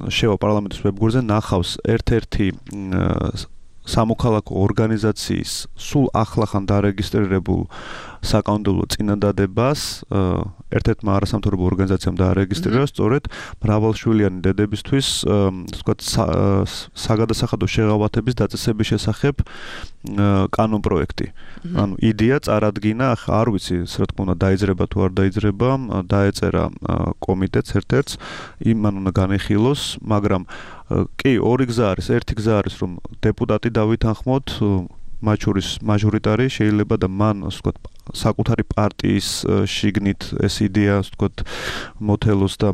შევა პარლამენტის ვებგვერდზე ნახავს ერთ-ერთი სამოქალაქო ორგანიზაციის სულ ახლახან დარეგისტრირებულ საკანონმდებლო წინადადებას, ერთ-ერთმა არასამთავრობო ორგანიზაციამ დაარეგისტრირა სწორედ მრავალშვილიანი დედებისთვის, ვთქვათ, საგადასახადო შეღავათების დაწესების შესახებ კანონპროექტი. ანუ იდეა წარადგინა, არ ვიცი, რა თქმა უნდა, დაიძრება თუ არ დაიძრება, დაეწერა კომიტეტს ერთ-ერთს, იმან უნდა განეხილოს, მაგრამ კი, ორი გზა არის, ერთი გზა არის, რომ დეპუტატი დავითანხმოთ, მათ შორის მაჟორიტარი შეიძლება და მან, ასე ვთქვათ, საკუთარი პარტიის შიგნით ეს იდეა, ასე ვთქვათ, მოთელოს და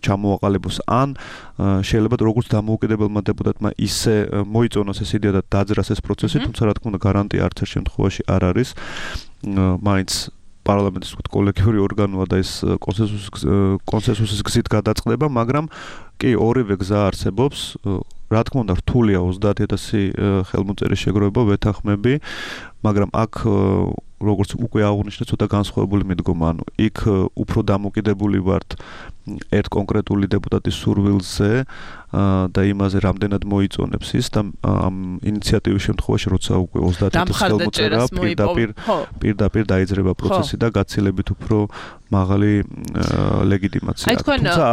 ჩამოაყალიბოს, ან შეიძლება როგორც დამოუკიდებელმა დეპუტატმა ისე მოიწონოს ეს იდეა და დაძრას ეს პროცესი, თუმცა რა თქმა უნდა გარანტია არც ერთ შემთხვევაში არ არის. მაინც პარლამენტის ვთქვათ კოლექტიური ორგანოა და ეს კონსენსუსის კონსენსუსის გზით გადაწყდება, მაგრამ კი ორივე გზა არსებობს. რა თქმა უნდა რთულია ოცდაათი ათასი ხელმოწერის შეგროვება, ვეთანხმები, მაგრამ აქ როგორც უკვე აღნიშნე, ცოტა განსხვავებული მიდგომა, ანუ იქ უფრო დამოკიდებული ვართ ერთ კონკრეტული დეპუტატის სურვილზე და იმაზე რამდენად მოიწონებს ის და ამ ინიციატივის შემთხვევაში, როცა უკვე ოცდაათი ათასი ხელმოწერა პირდაპირ პირდაპირ დაიძრება პროცესი და გაცილებით უფრო მაღალი ლეგიტიმაცია აქვს. თუმცა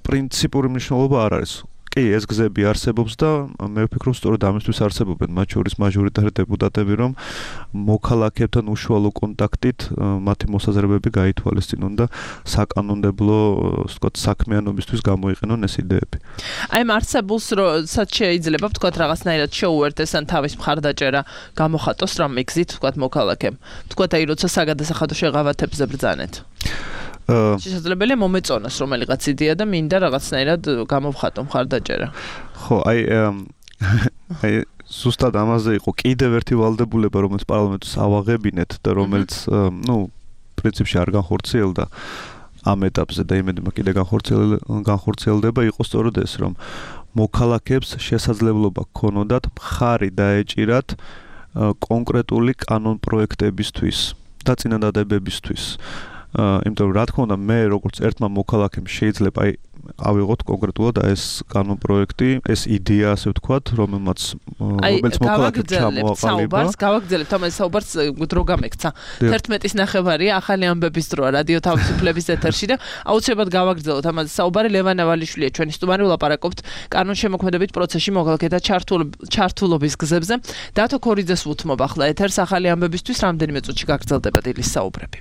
პრინციპური მნიშვნელობა არ არის. კი, ეს გზები არსებობს და მე ვფიქრობ, სწორედ ამისთვის არსებობენ მათ შორის მაჟორიტარი დეპუტატები, რომ მოქალაქეებთან უშუალო კონტაქტით მათი მოსაზრებები გაითვალისწინონ და საკანონმდებლო, ასე ვთქვათ, საქმიანობისთვის გამოიყენონ ეს იდეები. აი, ამ არსებულს როცა შეიძლება ვთქვათ რაღაცნაირად შეუერთდეს ან თავის მხარდაჭერა გამოხატოს რამ მიგზით ვთქვათ მოქალაქემ. ვთქვათ აი, როცა საგადასახადო შეღავათებზე ბრძანეთ. შესაძლებელია მომეწონოს რომელიღაც იდეა და მინდა რაღაცნაირად გამოვხატო მხარდაჭერა. ხო, აი აი ზუსტად ამაზე იყო კიდევ ერთი ვალდებულება, რომელიც პარლამენტს ავაღებინეთ და რომელიც, ну, პრინციპში არ განხორციელდა ამ ეტაპზე და იმედი მაქვს კიდე განხორციელდება, იყო სწორედ ეს, რომ მოქალაქეებს შესაძლებლობა ჰქონოდათ მხარი დაეჭირათ კონკრეტული კანონპროექტებისთვის და წინადადებებისთვის. იმიტომ რომ რა თქმა უნდა მე როგორც ერთმა მოქალაქემ შეიძლება აი ავიღოთ კონკრეტულად ეს კანონპროექტი, ეს იდეა ასე ვთქვათ, რომელმაც რომელიც მოქალაქეებს ჩამოაყალიბა. საუბარს გავაგრძელებთ, ამაზე საუბარს დრო გამექცა. თერთმეტის ნახევარია, ახალი ამბების დროა რადიო თავისუფლების ეთერში და აუცილებლად გავაგრძელოთ ამაზე საუბარი. ლევან ავალიშვილია ჩვენი სტუმარი, ვლაპარაკობთ კანონშემოქმედებით პროცესში მოქალაქეთა ჩართულობის გზებზე. დათო ქორიძეს უთმობ ახლა ეთერს ახალი ამბებისთვის, რამდენიმე წუთში გაგრძელდება დილის საუბრები.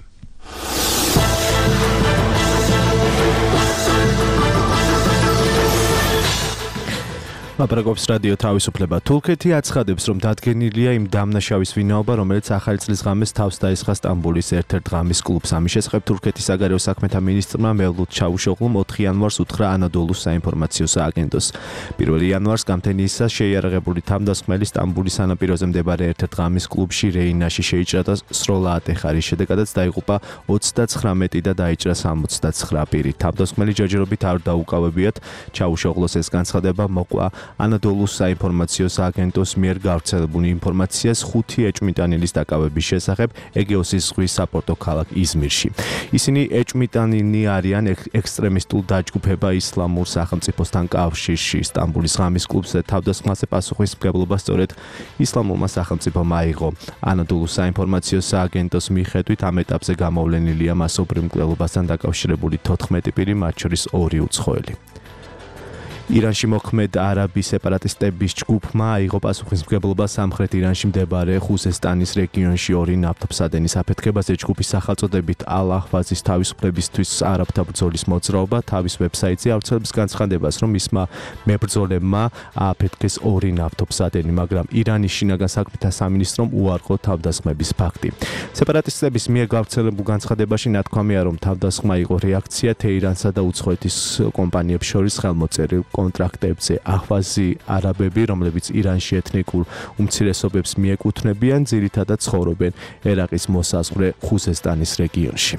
ლაპარაკობს რადიო თავისუფლება. თურქეთი აცხადებს, რომ დადგენილია იმ დამნაშავის ვინაობა, რომელიც ახალი წლის ღამეს თავს დაესხა სტამბოლის ერთ-ერთ ღამის კლუბს. ამის შესახებ თურქეთის საგარეო საქმეთა მინისტრმა მევლութ ჩავუშოღლუმ ოთხი იანვარს უთხრა ანადოლუს საინფორმაციო სააგენტოს. პირველი იანვარს გამთენიისას შეიარაღებული თავდასხმელი სტამბოლის სანაპიროზე მდებარე ერთ-ერთ ღამის კლუბში რეინაში შეიჭრა და სროლა ატეხა, რის შედეგადაც დაიღუპა ოცდაცხრამეტი და დაიჭრა სამოცდაცხრა პირი. თავდასხმელი ჯერჯერობით არ დაუკავებიათ. ჩავუშოღლოს ეს განცხადება მოყვა ანადოლუს საინფორმაციო სააგენტოს მიერ გავრცელებული ინფორმაციას ხუთი ეჭვმიტანილის დაკავების შესახებ ეგეოსის ზღვის საპორტო ქალაქ იზმირში. ისინი ეჭვმიტანილნი არიან ექსტრემისტულ დაჯგუფება ისლამურ სახელმწიფოსთან კავშირში. სტამბოლის ღამის კლუბზე თავდასხმაზე პასუხისმგებლობა სწორედ ისლამურმა სახელმწიფომ აიღო. ანადოლუს საინფორმაციო სააგენტოს მიხედვით ამ ეტაპზე გამოვლენილია მასობრივ მკვლელობასთან დაკავშირებული თოთხმეტი პირი, მათ შორის ორი უცხოელი. ირანში მოქმედ არაბი სეპარატისტების ჯგუფმა აიღო პასუხისმგებლობა სამხრეთ ირანში მდებარე ხუზესტანის რეგიონში ორი ნავთობსადენის აფეთქებაზე. ჯგუფის სახელწოდებით ალ-აჰვაზის თავისუფლებისთვის არაბთა ბრძოლის მოძრაობა თავის ვებსაიტზე ავრცელებს განცხადებას, რომ მისმა მებრძოლებმა ააფეთქეს ორი ნავთობსადენი, მაგრამ ირანის შინაგან საქმეთა სამინისტრომ უარყო თავდასხმების ფაქტი. სეპარატისტების მიერ გავრცელებულ განცხადებაში ნათქვამია, რომ თავდასხმა იყო რეაქცია თეირანსა და უცხოეთის კომპანიებს შორის ხელმოწერილ კონტრაქტებზე. აჰვაზი არაბები, რომლებიც ირანში ეთნიკურ უმცირესობებს მიეკუთვნებიან, ძირითადად ცხოვრობენ ერაყის მოსაზღვრე ხუზესტანის რეგიონში.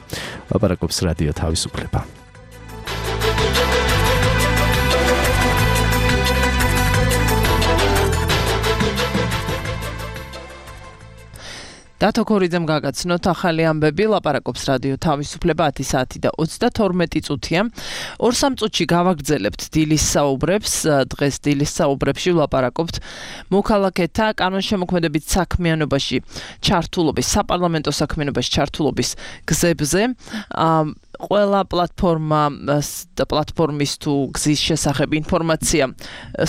ლაპარაკობს რადიო თავისუფლება. დათო ქორიძემ გაგაცნოთ ახალი ამბები, ლაპარაკობს რადიო თავისუფლება ათი საათი და ოცდათორმეტი წუთია. ორ სამ წუთში გავაგრძელებთ დილის საუბრებს. დღეს დილის საუბრებში ვლაპარაკობთ მოქალაქეთა კანონშემოქმედებით საქმიანობაში ჩართულობის, საპარლამენტო საქმიანობაში ჩართულობის გზებზე. ყველა პლატფორმა და პლატფორმის თუ გზის შესახებ ინფორმაცია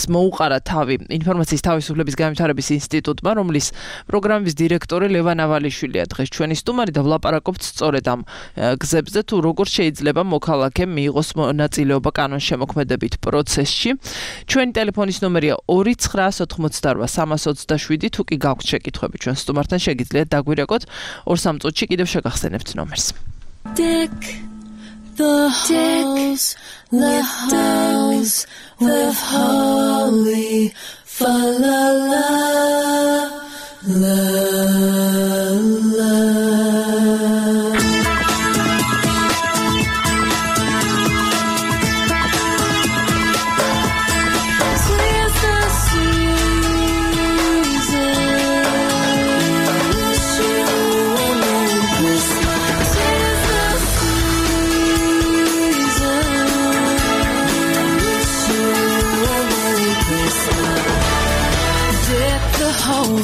მოუყარა თავი ინფორმაციის თავისუფლების განვითარების ინსტიტუტმა, რომლის პროგრამის დირექტორი ლევან ავალიშვილია დღეს ჩვენი სტუმარი და ვლაპარაკობთ სწორედ ამ გზებზე, თუ როგორ შეიძლება მოქალაქემ მიიღოს მონაწილეობა კანონშემოქმედებით პროცესში. ჩვენი ტელეფონის ნომერია ორი ცხრა ოთხმოცდარვა სამას ოცდაშვიდი. თუ კი გაქვთ შეკითხვები ჩვენ სტუმართან, შეგიძლიათ დაგვირეკოთ ორ სამ წუთში კიდევ შეგახსენებთ ნომერს. Dick the halls, the halls with holly, fa la la la la.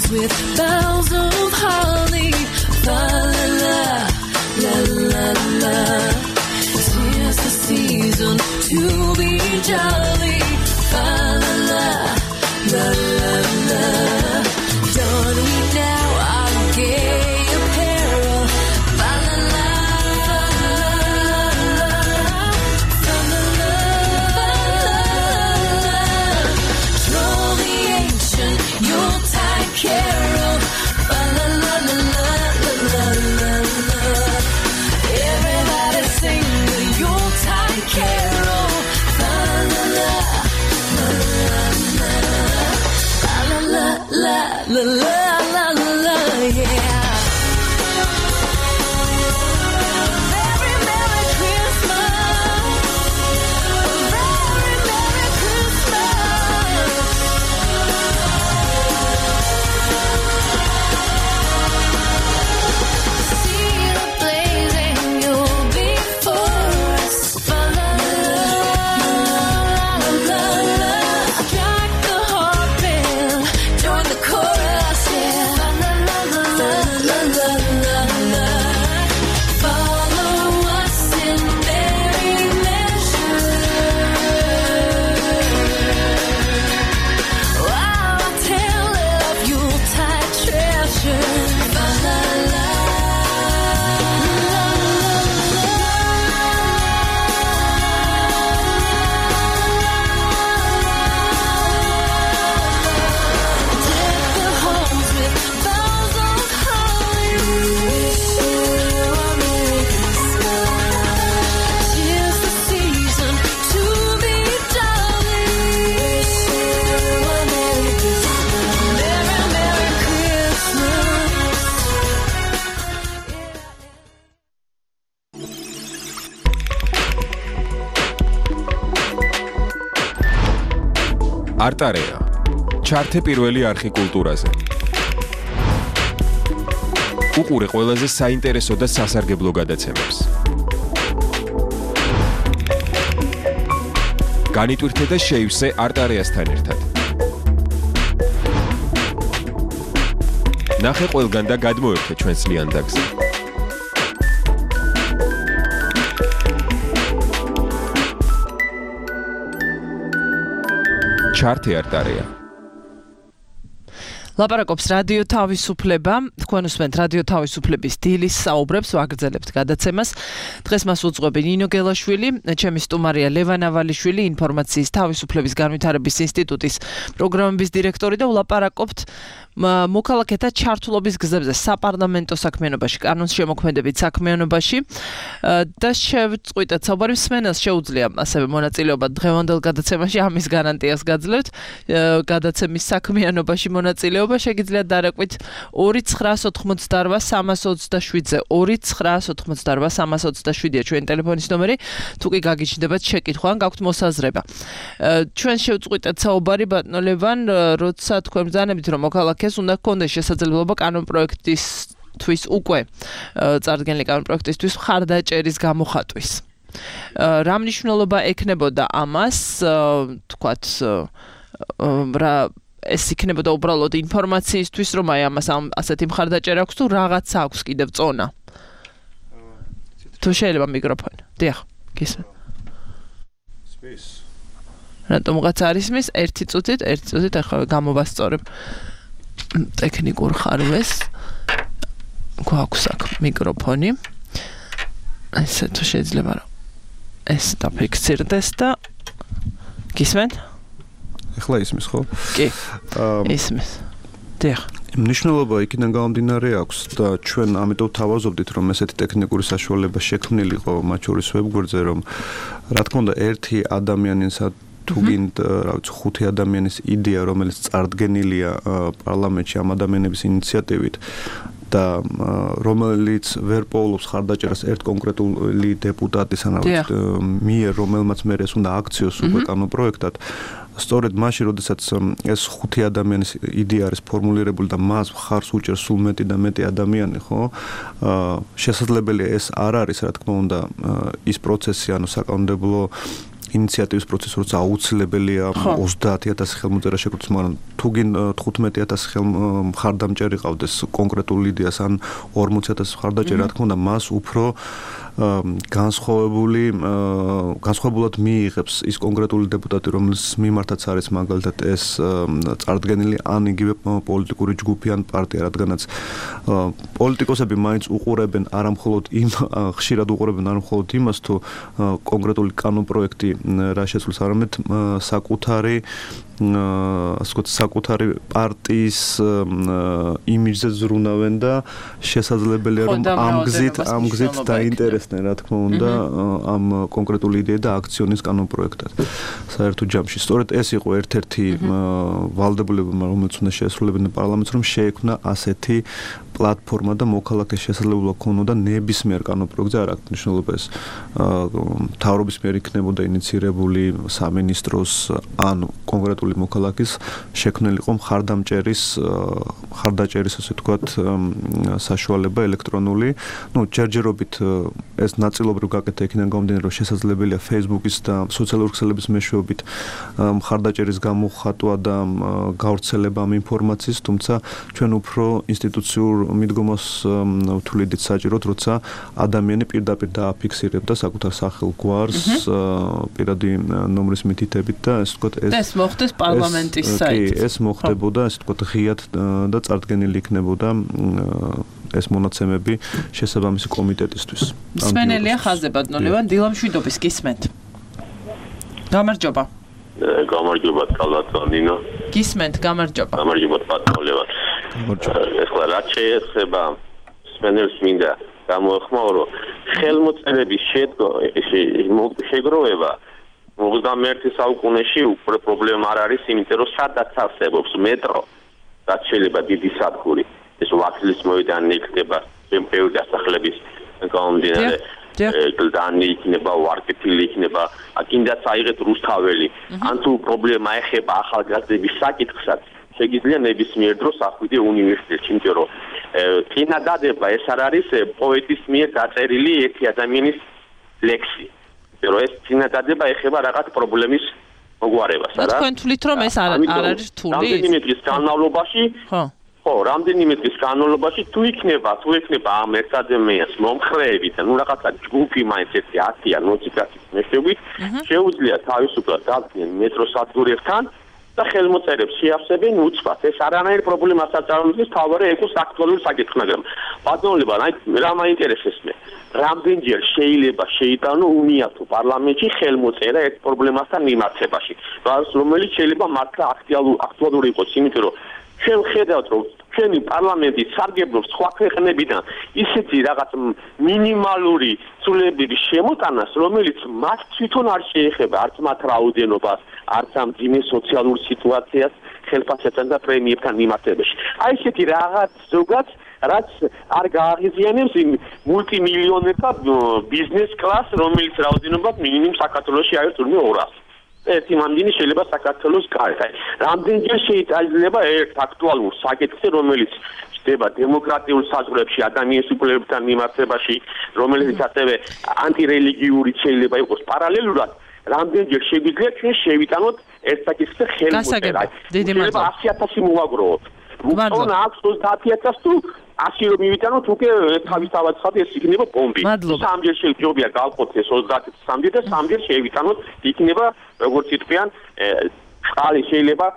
With bells of holly, fa la la la la la. Tis the season to be jolly, fa არტარეა ჩართე პირველი არხი კულტურაზე. უყურე ყველაზე საინტერესო და სასარგებლო გადაცემებს. განიტვირთე და შეივსე არტარეასთან ერთად. ნახე ყველგან და გადმოერთე ჩვენს ლიანდაგზე. ჩართე არტარეა. ლაპარაკობს რადიო თავისუფლება, თქვენ უსმენთ რადიო თავისუფლების დილის საუბრებს, ვაგრძელებთ გადაცემას. დღეს მას უძღვები ნინო გელაშვილი, ჩემი სტუმარია ლევან ავალიშვილი, ინფორმაციის თავისუფლების განვითარების ინსტიტუტის პროგრამების დირექტორი და ვლაპარაკობთ მოქალაქეთა ჩართულობის გზებზე საპარლამენტო საქმიანობაში, კანონის შემოქმედებით საქმიანობაში და შევწყვიტეთ საუბარი მსმენელს შეუძლია ასევე მონაწილეობა დღევანდელ გადაცემაში, ამის გარანტიას გაძლევთ. გადაცემის საქმიანობაში მონაწილეობა შეგიძლიათ დარაკვით ორი ცხრაას ოთხმოცდაორვა სამას ოცდაშვიდზე ორი ცხრაას ოთხმოცდაორვა სამას ოცდაშვიდია ჩვენი ტელეფონის ნომერი. თუ კი გაგიჩნდებათ შეკითხვა ან გაქვთ მოსაზრება. ჩვენ შევწყვიტეთ საუბარი ბატონო ლევან, როცა თქვენ ბრძანებით რომ მოქალაქეს უნდა გქონდეს შესაძლებლობა კანონპროექტისთვის უკვე წარდგენილი კანონპროექტისთვის მხარდაჭერის გამოხატვის. რა მნიშვნელობა ექნებოდა ამას, თქვათ რა ეს იქნებოდა უბრალოდ ინფორმაციისთვის, რომ აი ამას ასეთი მხარდაჭერა აქვს თუ რაღაცა აქვს კიდევ წონა. თუ შეიძლება მიკროფონი. დიახ, გისმენთ. სპის. რატომღაც არ ისმის? ერთი წუთით, ერთი წუთით ახლა გამოვასწორებ. ტექნიკურ ხარვეს. გვაქვს აქ მიკროფონი. ესე თუ შეიძლება რომ ეს დაფიქსირდეს და გისმენთ? ეხლა ისმის ხო? კი. ისმის. დიახ. მნიშვნელობა იქიდან გამომდინარე აქვს და ჩვენ ამიტომ თავაზობდით რომ ესეთი ტექნიკური საშუალება შექმნილიყო მათ შორის ვებგვერდზე რომ რა თქმა უნდა ერთი ადამიანისა თუ გინდ რა ვიცი ხუთი ადამიანის იდეა რომელიც წარდგენილია პარლამენტში ამ ადამიანების ინიციატივით და რომელიც ვერ პოულობს ხარდაჭერას ერთ კონკრეტული დეპუტატის ან მიერ რომელმაც მე ეს უნდა აქციოს უკვე კანონპროექტად სწორედ მაშინ როდესაც ეს ხუთი ადამიანის იდეა არის ფორმულირებული და მას ხარს უჭერს სულ მეტი და მეტი ადამიანი ხო შესაძლებელია ეს არ არის რა თქმა უნდა ის პროცესი ანუ საკანონმდებლო ინიციატივის პროცესი როცა აუცილებელია ოცდაათი ათასი ხელმოწერა შეგროვდეს მაგრამ თუ გინ თხუთმეტი ათასი მხარდამჭერი ყავდეს კონკრეტულ იდეას ან ორმოცი ათასი მხარდაჭერი რა თქმა უნდა მას უფრო განსხვავებული განსხვავებულად მიიღებს ის კონკრეტული დეპუტატი, რომელიც მიმართაც არის მაგალითად ეს წარდგენილი ან იგივე პოლიტიკური ჯგუფი ან პარტია, რადგანაც პოლიტიკოსები მაინც უყურებენ არამხოლოდ იმ ხშირად უყურებენ არამხოლოდ იმას, თუ კონკრეტული კანონპროექტი რა შეცვლის, არამედ საკუთარი ასე ვთქვათ, საკუთარი პარტიის იმიჯზე ზრუნავენ და შესაძლებელია რომ ამ გზით ამ გზით დაინტერესდნენ, რა თქმა უნდა, ამ კონკრეტული იდეა და აქციონის კანონპროექტად. საერთო ჯამში სწორედ ეს იყო ერთ-ერთი ვალდებულება, რომელიც უნდა შეესრულებინა პარლამენტს, რომ შეექმნა ასეთი პლატფორმა და მოქალაქეს შესაძლებლობა ქონოდა ნებისმიერ კანონპროექტზე, არ აქვს მნიშვნელობა ეს მთავრობის მიერ იქნებოდა ინიცირებული სამინისტროს ან კონკრეტული მოქალაქის შექმნილიყო მხარდამჭერის მხარდაჭერის ასე ვთქვათ საშუალება ელექტრონული. ნუ ჯერჯერობით ეს ნაწილობრივ გაკეთდა იქიდან გამომდინარე, რომ შესაძლებელია Facebook-ის და სოციალური ქსელების მეშვეობით მხარდაჭერის გამოხატვა და გავრცელება ამ ინფორმაციის, თუმცა ჩვენ უფრო ინსტიტუციურ მიდგომას ვთვლიდით საჭიროდ, როცა ადამიანი პირდაპირ დააფიქსირებდა საკუთარ სახელ გვარს პირადი ნომრის მითითებით და ასე ვთქვათ ეს ეს მოხდეს პარლამენტის საიტზე. კი, ეს მოხდებოდა, ასე ვთქვათ, ღიად და წარდგენილი იქნებოდა ეს მონაცემები შესაბამისი კომიტეტისთვის. მსმენელია ხაზზე ბატონო, დილამშვიდობის გისმენთ. გამარჯობა. გამარჯობა კალათონინო. გისმენთ, გამარჯობა. გამარჯობა ბატონო. ეხლა რა შეეხება მსმენელს მინდა გამოეხმაურო ხელმოწერების შეგროვება ოცდამეერთე საუკუნეში უკვე პრობლემა არ არის, იმიტომ რომ სადაც არსებობს მეტრო, რაც შეიძლება დიდი სადგური, ეს ვახლის მოედანი იქნება, ბევრი დასახლების გამომდინარე, გლდანი იქნება, ვარკეთილი იქნება, აქინდაც აიღეთ რუსთაველი. ან თუ პრობლემა ეხება ახალგაზრდების საკითხსაც, შეგიძლია ნებისმიერ დროს ახვიდე უნივერსიტეტში, იმიტომ რომ წინადადება ეს არ არის პოეტის მიერ დაწერილი ერთი ადამიანის ლექსი. რომ ეს წინადადება ეხება რაღაც პრობლემის მოგვარებას, არა? თქვენ თვლით რომ ეს არ არის რთული? რამდენიმე დღის განმავლობაში, ხო, ხო, რამდენიმე დღის განმავლობაში თუ იქნება, თუ იქნება ამ ერთ ადამიანს მომხრეებით, ნუ რაღაცა ჯგუფი მაინც ერთი ათი ან ოცი კაცის მეშვეობით, შეუძლია თავისუფლად დადგნენ მეტროსადგურებთან და ხელმოწერებს შეავსებენ უცბად. ეს არანაირ პრობლემას არ წარმოადგენს, თავარი ეკოს აქტუალური საკითხი, მაგრამ ბატონებო, რა მაინტერესებს მე? რამდენჯერ შეიძლება შეიტანო უნიათო პარლამენტში ხელმოწერა ერთ პრობლემასთან მიმართებაში, რომელიც შეიძლება მართლა აქტუალური იყოს, იმიტომ რომ ჩვენ ხედავთ, რომ ჩვენი პარლამენტი სარგებლობს სხვა ქვეყნებიდან ისეთი რაღაც მინიმალური ცვლილებების შემოტანას, რომელიც მათ თვითონ არ შეეხება არც მათ რაოდენობას, არც ამ ძიმე სოციალურ სიტუაციას ხელფასებთან და პრემიებთან მიმართებაში. აი ესეთი რაღაც ზოგად რაც არ გააღიზიანებს იმ მულტიმილიონერთა ბიზნეს კლასს, რომელიც რაოდენობა მინიმუმ საქართველოში არის თურმე ორასი. ერთი მანდინი შეიძლება საქართველოს გარეთ. აი, რამდენჯერ შეიძლება ერთ აქტუალურ საკითხზე, რომელიც ხდება დემოკრატიულ საზღვრებში ადამიანის უფლებებთან მიმართებაში, რომელიც ასევე ანტირელიგიური შეიძლება იყოს პარალელურად, რამდენჯერ შეგვიძლია ჩვენ შევიტანოთ ერთ საკითხზე ხელმოწერა. შეიძლება ასი ათასი მოვაგროვოთ. უკან აქვს ოცდაათი ათასი თუ ასი რომ მივიტანოთ, უკვე თავისთავად ხარ ეს იქნება ბომბი. სამჯერ შეიძლება გავყოთ ეს ოცდაათი სამჯერ და სამჯერ შევიტანოთ, იქნება როგორც იტყვიან, წყალი შეიძლება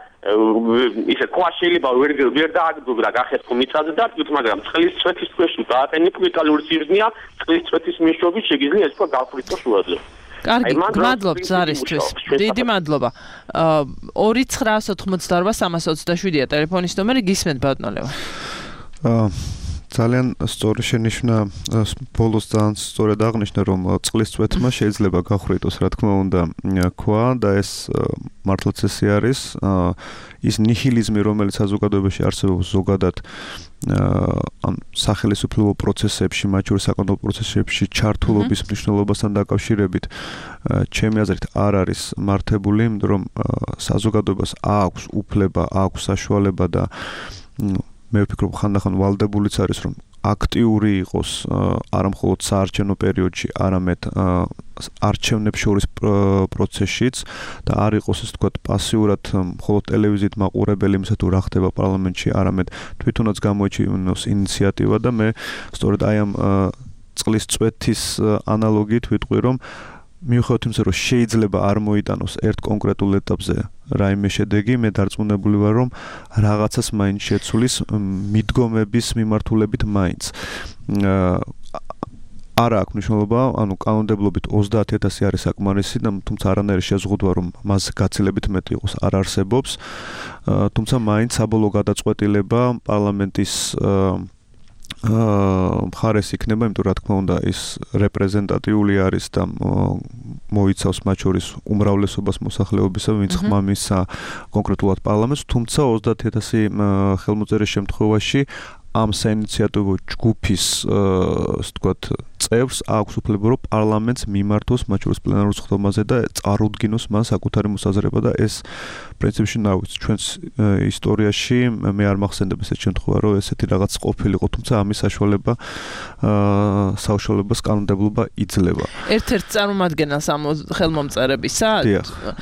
ისე ქვა შეიძლება ვერ ვერ დააგდო და გახეთქო მიწაზე და თქვით, მაგრამ წყლის წვეთის ქვეშ დააყენებ ვიტალური სიზნეა, წყლის წვეთის მეშვეობით შეგიძლია ეს თქვა გავფრითო შუაზე. კარგი, მადლობთ ზარისთვის. დიდი მადლობა. ორი ცხრაას ოთხმოცდაორვა სამას ოცდაშვიდია ტელეფონის ნომერი, გისმენთ ბატონო. აა ძალიან სწორი შენიშვნა, ბოლოს ძალიან სწორად აღნიშნა, რომ წყლის წვეთმა შეიძლება გახვრიტოს, რა თქმა უნდა, ქვა და ეს მართლაც ესე არის, ის ნიჰილიზმი, რომელიც საზოგადოებაში არსებობს ზოგადად ან სახელისუფლებო პროცესებში, მათ შორის საკანონმდებლო პროცესებში ჩართულობის მნიშვნელობასთან დაკავშირებით, ჩემი აზრით არ არის მართებული, იმიტომ რომ საზოგადოებას აქვს უფლება, აქვს საშუალება და მე ვფიქრობ, ხანდახან ვალდებულიც არის, რომ აქტიური იყოს არამხოლოდ საარჩევნო პერიოდში, არამედ არჩევნებს შორის პროცესშიც და არ იყოს ეს თქვა პასიურად მხოლოდ ტელევიზიით მაყურებელი იმისა თუ რა ხდება პარლამენტში, არამედ თვითონაც გამოიჩინოს ინიციატივა და მე სწორედ აი ამ წყლის წვეთის ანალოგიით ვიტყვი, რომ მიუხედავად იმისა, რომ შეიძლება არ მოიტანოს ერთ კონკრეტულ ეტაპზე რაიმე შედეგი, მე დარწმუნებული ვარ, რომ რაღაცას მაინც შეცვლის მიდგომების მიმართულებით მაინც. არა აქვს მნიშვნელობა, ანუ კანონმდებლობით ოცდაათი ათასი არის საკმარისი, თუმცა არანაირი შეზღუდვა, რომ მას გაცილებით მეტი იყოს, არ არსებობს. თუმცა მაინც საბოლოო გადაწყვეტილება პარლამენტის მხარეს იქნება, იმიტომ რა თქმა უნდა ის რეპრეზენტატიული არის და მოიცავს მათ შორის უმრავლესობას მოსახლეობისა, ვინც ხმამისა კონკრეტულად პარლამენტს, თუმცა ოცდაათი ათასი ხელმოწერის შემთხვევაში ამ საინიციატივო ჯგუფის ასე ვთქვათ წევრს აქვს უფლება რომ პარლამენტს მიმართოს მათ შორის პლენარულ სხდომაზე და წარუდგინოს მან საკუთარი მოსაზრება და ეს პრინციპში ნავით ჩვენს ისტორიაში მე არ მახსენდება ესეთ შემთხვევა რომ ესეთი რაღაც ყოფილიყო თუმცა ამის საშუალება საუშუალებას კანონმდებლობა იძლევა ერთ-ერთ წარმომადგენელს ამ ხელმომწერებისა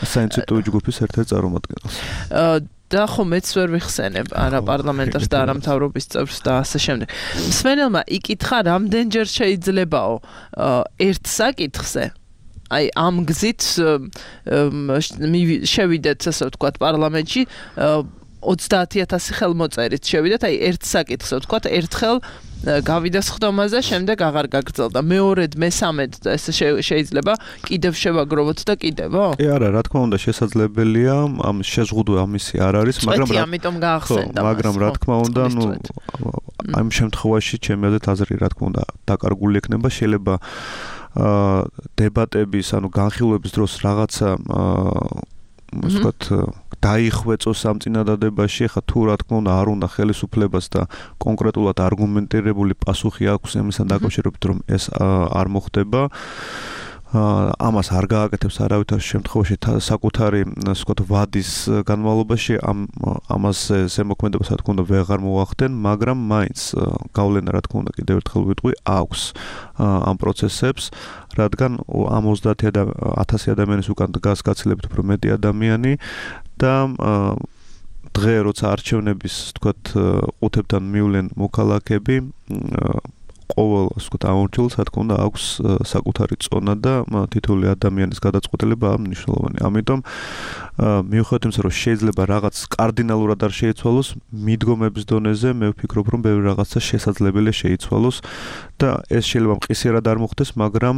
საინიციატივო ჯგუფის ერთ-ერთ წარმომადგენელს და ხო მეც ვერ ვიხსენებ არა პარლამენტარს და არა მთავრობის წევრს და ასე შემდეგ. მსმენელმა იკითხა რამდენჯერ შეიძლებაო ერთ საკითხზე აი ამ გზით შევიდეთ ასე ვთქვათ პარლამენტში ოცდაათი ათასი ხელმოწერით შევიდეთ აი ერთ საკითხზე ვთქვათ ერთხელ გავიდა სხდომაზე შემდეგ აღარ გაგრძელდა მეორედ მესამედ ესე შეიძლება კიდევ შევაგროვოთ და კიდევო? ე არა რა თქმა უნდა შესაძლებელია ამ შეზღუდვა ამისი არ არის მაგრამ რა ამიტომ გაახსენდა მაგრამ რა თქმა უნდა ნუ ამ შემთხვევაში ჩემი აზრით აზრი რა თქმა უნდა დაკარგული ექნება შეიძლება დებატების ანუ განხილვების დროს რაღაცა ასე ვთქვათ დაიხვეწოს ამ წინადადებაში, ხა თუ რა თქმა უნდა არ უნდა ხელისუფლებას და კონკრეტულად არგუმენტირებული პასუხი აქვს ამისთან დაკავშირებით, რომ ეს არ მოხდება. ამას არ გააკეთებს არავითარ შემთხვევაში საკუთარი, ასე ვთქვათ, ვადის განმავლობაში ამ ამას ზემოქმედებას რა თქმა უნდა ვეღარ მოახდენ, მაგრამ მაინც გავლენა რა თქმა უნდა კიდევ ერთხელ ვიტყვი აქვს ამ პროცესებს, რადგან ამ ოცდაათი ათასი ადამიანის უკან დგას გაცილებით უფრო მეტი ადამიანი და დღე როცა არჩევნების ვთქვათ ყუთებთან მივლენ მოქალაქეები ყოველ ასე ვთქვათ ამორჩეულს რა თქმა უნდა აქვს საკუთარი წონა და თითოეული ადამიანის გადაწყვეტილება მნიშვნელოვანი. ამიტომ მიუხედავად იმისა, რომ შეიძლება რაღაც კარდინალურად არ შეიცვალოს, მიდგომების დონეზე მე ვფიქრობ, რომ ბევრი რაღაცა შესაძლებელია შეიცვალოს და ეს შეიძლება მყისიერად არ მოხდეს, მაგრამ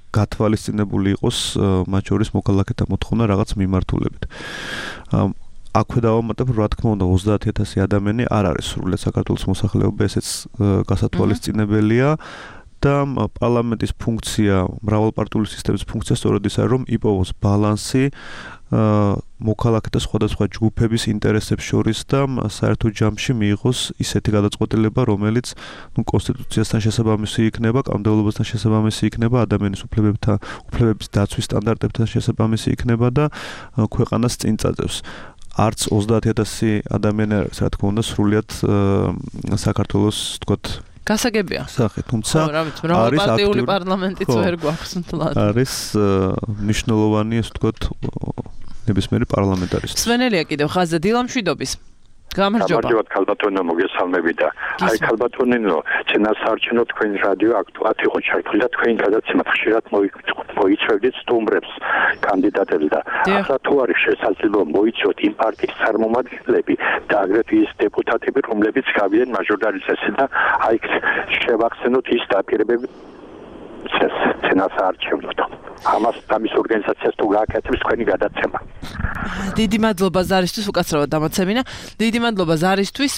გათვალისწინებული იყოს მათ შორის მოქალაქეთა მოთხოვნა რაღაც მიმართულებით. აქვე დავამატებ, რა თქმა უნდა ოცდაათი ათასი ადამიანი არ არის სრულად საქართველოს მოსახლეობა, ესეც გასათვალისწინებელია და პარლამენტის ფუნქცია, მრავალპარტიული სისტემის ფუნქცია სწორედ ის არის, რომ იპოვოს ბალანსი მოქალაქეთა სხვადასხვა ჯგუფების ინტერესებს შორის და საერთო ჯამში მიიღოს ისეთი გადაწყვეტილება, რომელიც ნუ კონსტიტუციასთან შესაბამისი იქნება, კანონმდებლობასთან შესაბამისი იქნება, ადამიანის უფლებებთან, უფლებების დაცვის სტანდარტებთან შესაბამისი იქნება და ქვეყანას წინ წაძევს. არც ოცდაათი ათასი ადამიანი არის, რა თქმა უნდა, სრულიად საქართველოს, ვთქვათ, გასაგებია. სახე, თუმცა არის პარტიული პარლამენტიც ვერ გვაქვს მთლად. არის მნიშვნელოვანი, ასე ვთქვათ, ნებისმიერი პარლამენტარისტი. მსმენელია კიდევ ხაზზე დილამშვიდობის. გამარჯობა. გამარჯობა ქალბატონო, მოგესალმები და აი ქალბატონინო, წინასაარჩევნო თქვენ რადიო აქტუალად იყო ჩართული და თქვენ გადაცემად ხშირად მოიწვევდით სტუმრებს, კანდიდატებს და ახლა თუ არის შესაძლებლობა მოიწვიოთ იმ პარტიის წარმომადგენლები და აგრეთვე ის დეპუტატები, რომლებიც გავიდნენ მაჟორიტარიზაციაში და აი შევახსენოთ ის დაპირებები წინასაარჩევნოდ. ამას ამის ორგანიზაციას თუ გააკეთებს თქვენი გადაცემა. დიდი მადლობა ზარისთვის, უკაცრავად დამაცემინა. დიდი მადლობა ზარისთვის.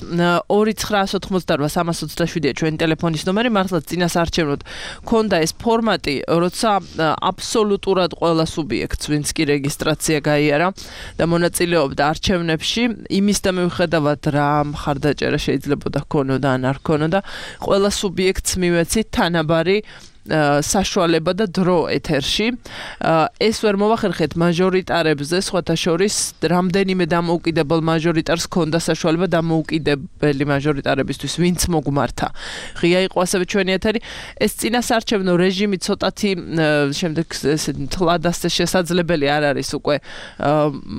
ორი ცხრაას ოთხმოცდაოთხ სამას ოცდაშვიდია ჩვენი ტელეფონის ნომერი, მართლაც წინასაარჩევნოდ ქონდა ეს ფორმატი, როცა აბსოლუტურად ყველა სუბიექტს, ვინც კი რეგისტრაცია გაიარა და მონაწილეობდა არჩევნებში, იმის და მიუხედავად რა მხარდაჭერა შეიძლებოდა ქონოდა ან არ ქონოდა, ყველა სუბიექტს მივეცით თანაბარი საშუალება და დრო ეთერში. ეს ვერ მოვახერხეთ მაჟორიტარებზე, სხვათა შორის რამდენიმე დამოუკიდებელ მაჟორიტარს ჰქონდა საშუალება დამოუკიდებელი მაჟორიტარებისთვის, ვინც მოგმართა. ღია იყო ასევე ჩვენი ეთერი. ეს წინასარჩევნო რეჟიმი ცოტათი შემდეგ ესე თლადასე შესაძლებელი არ არის უკვე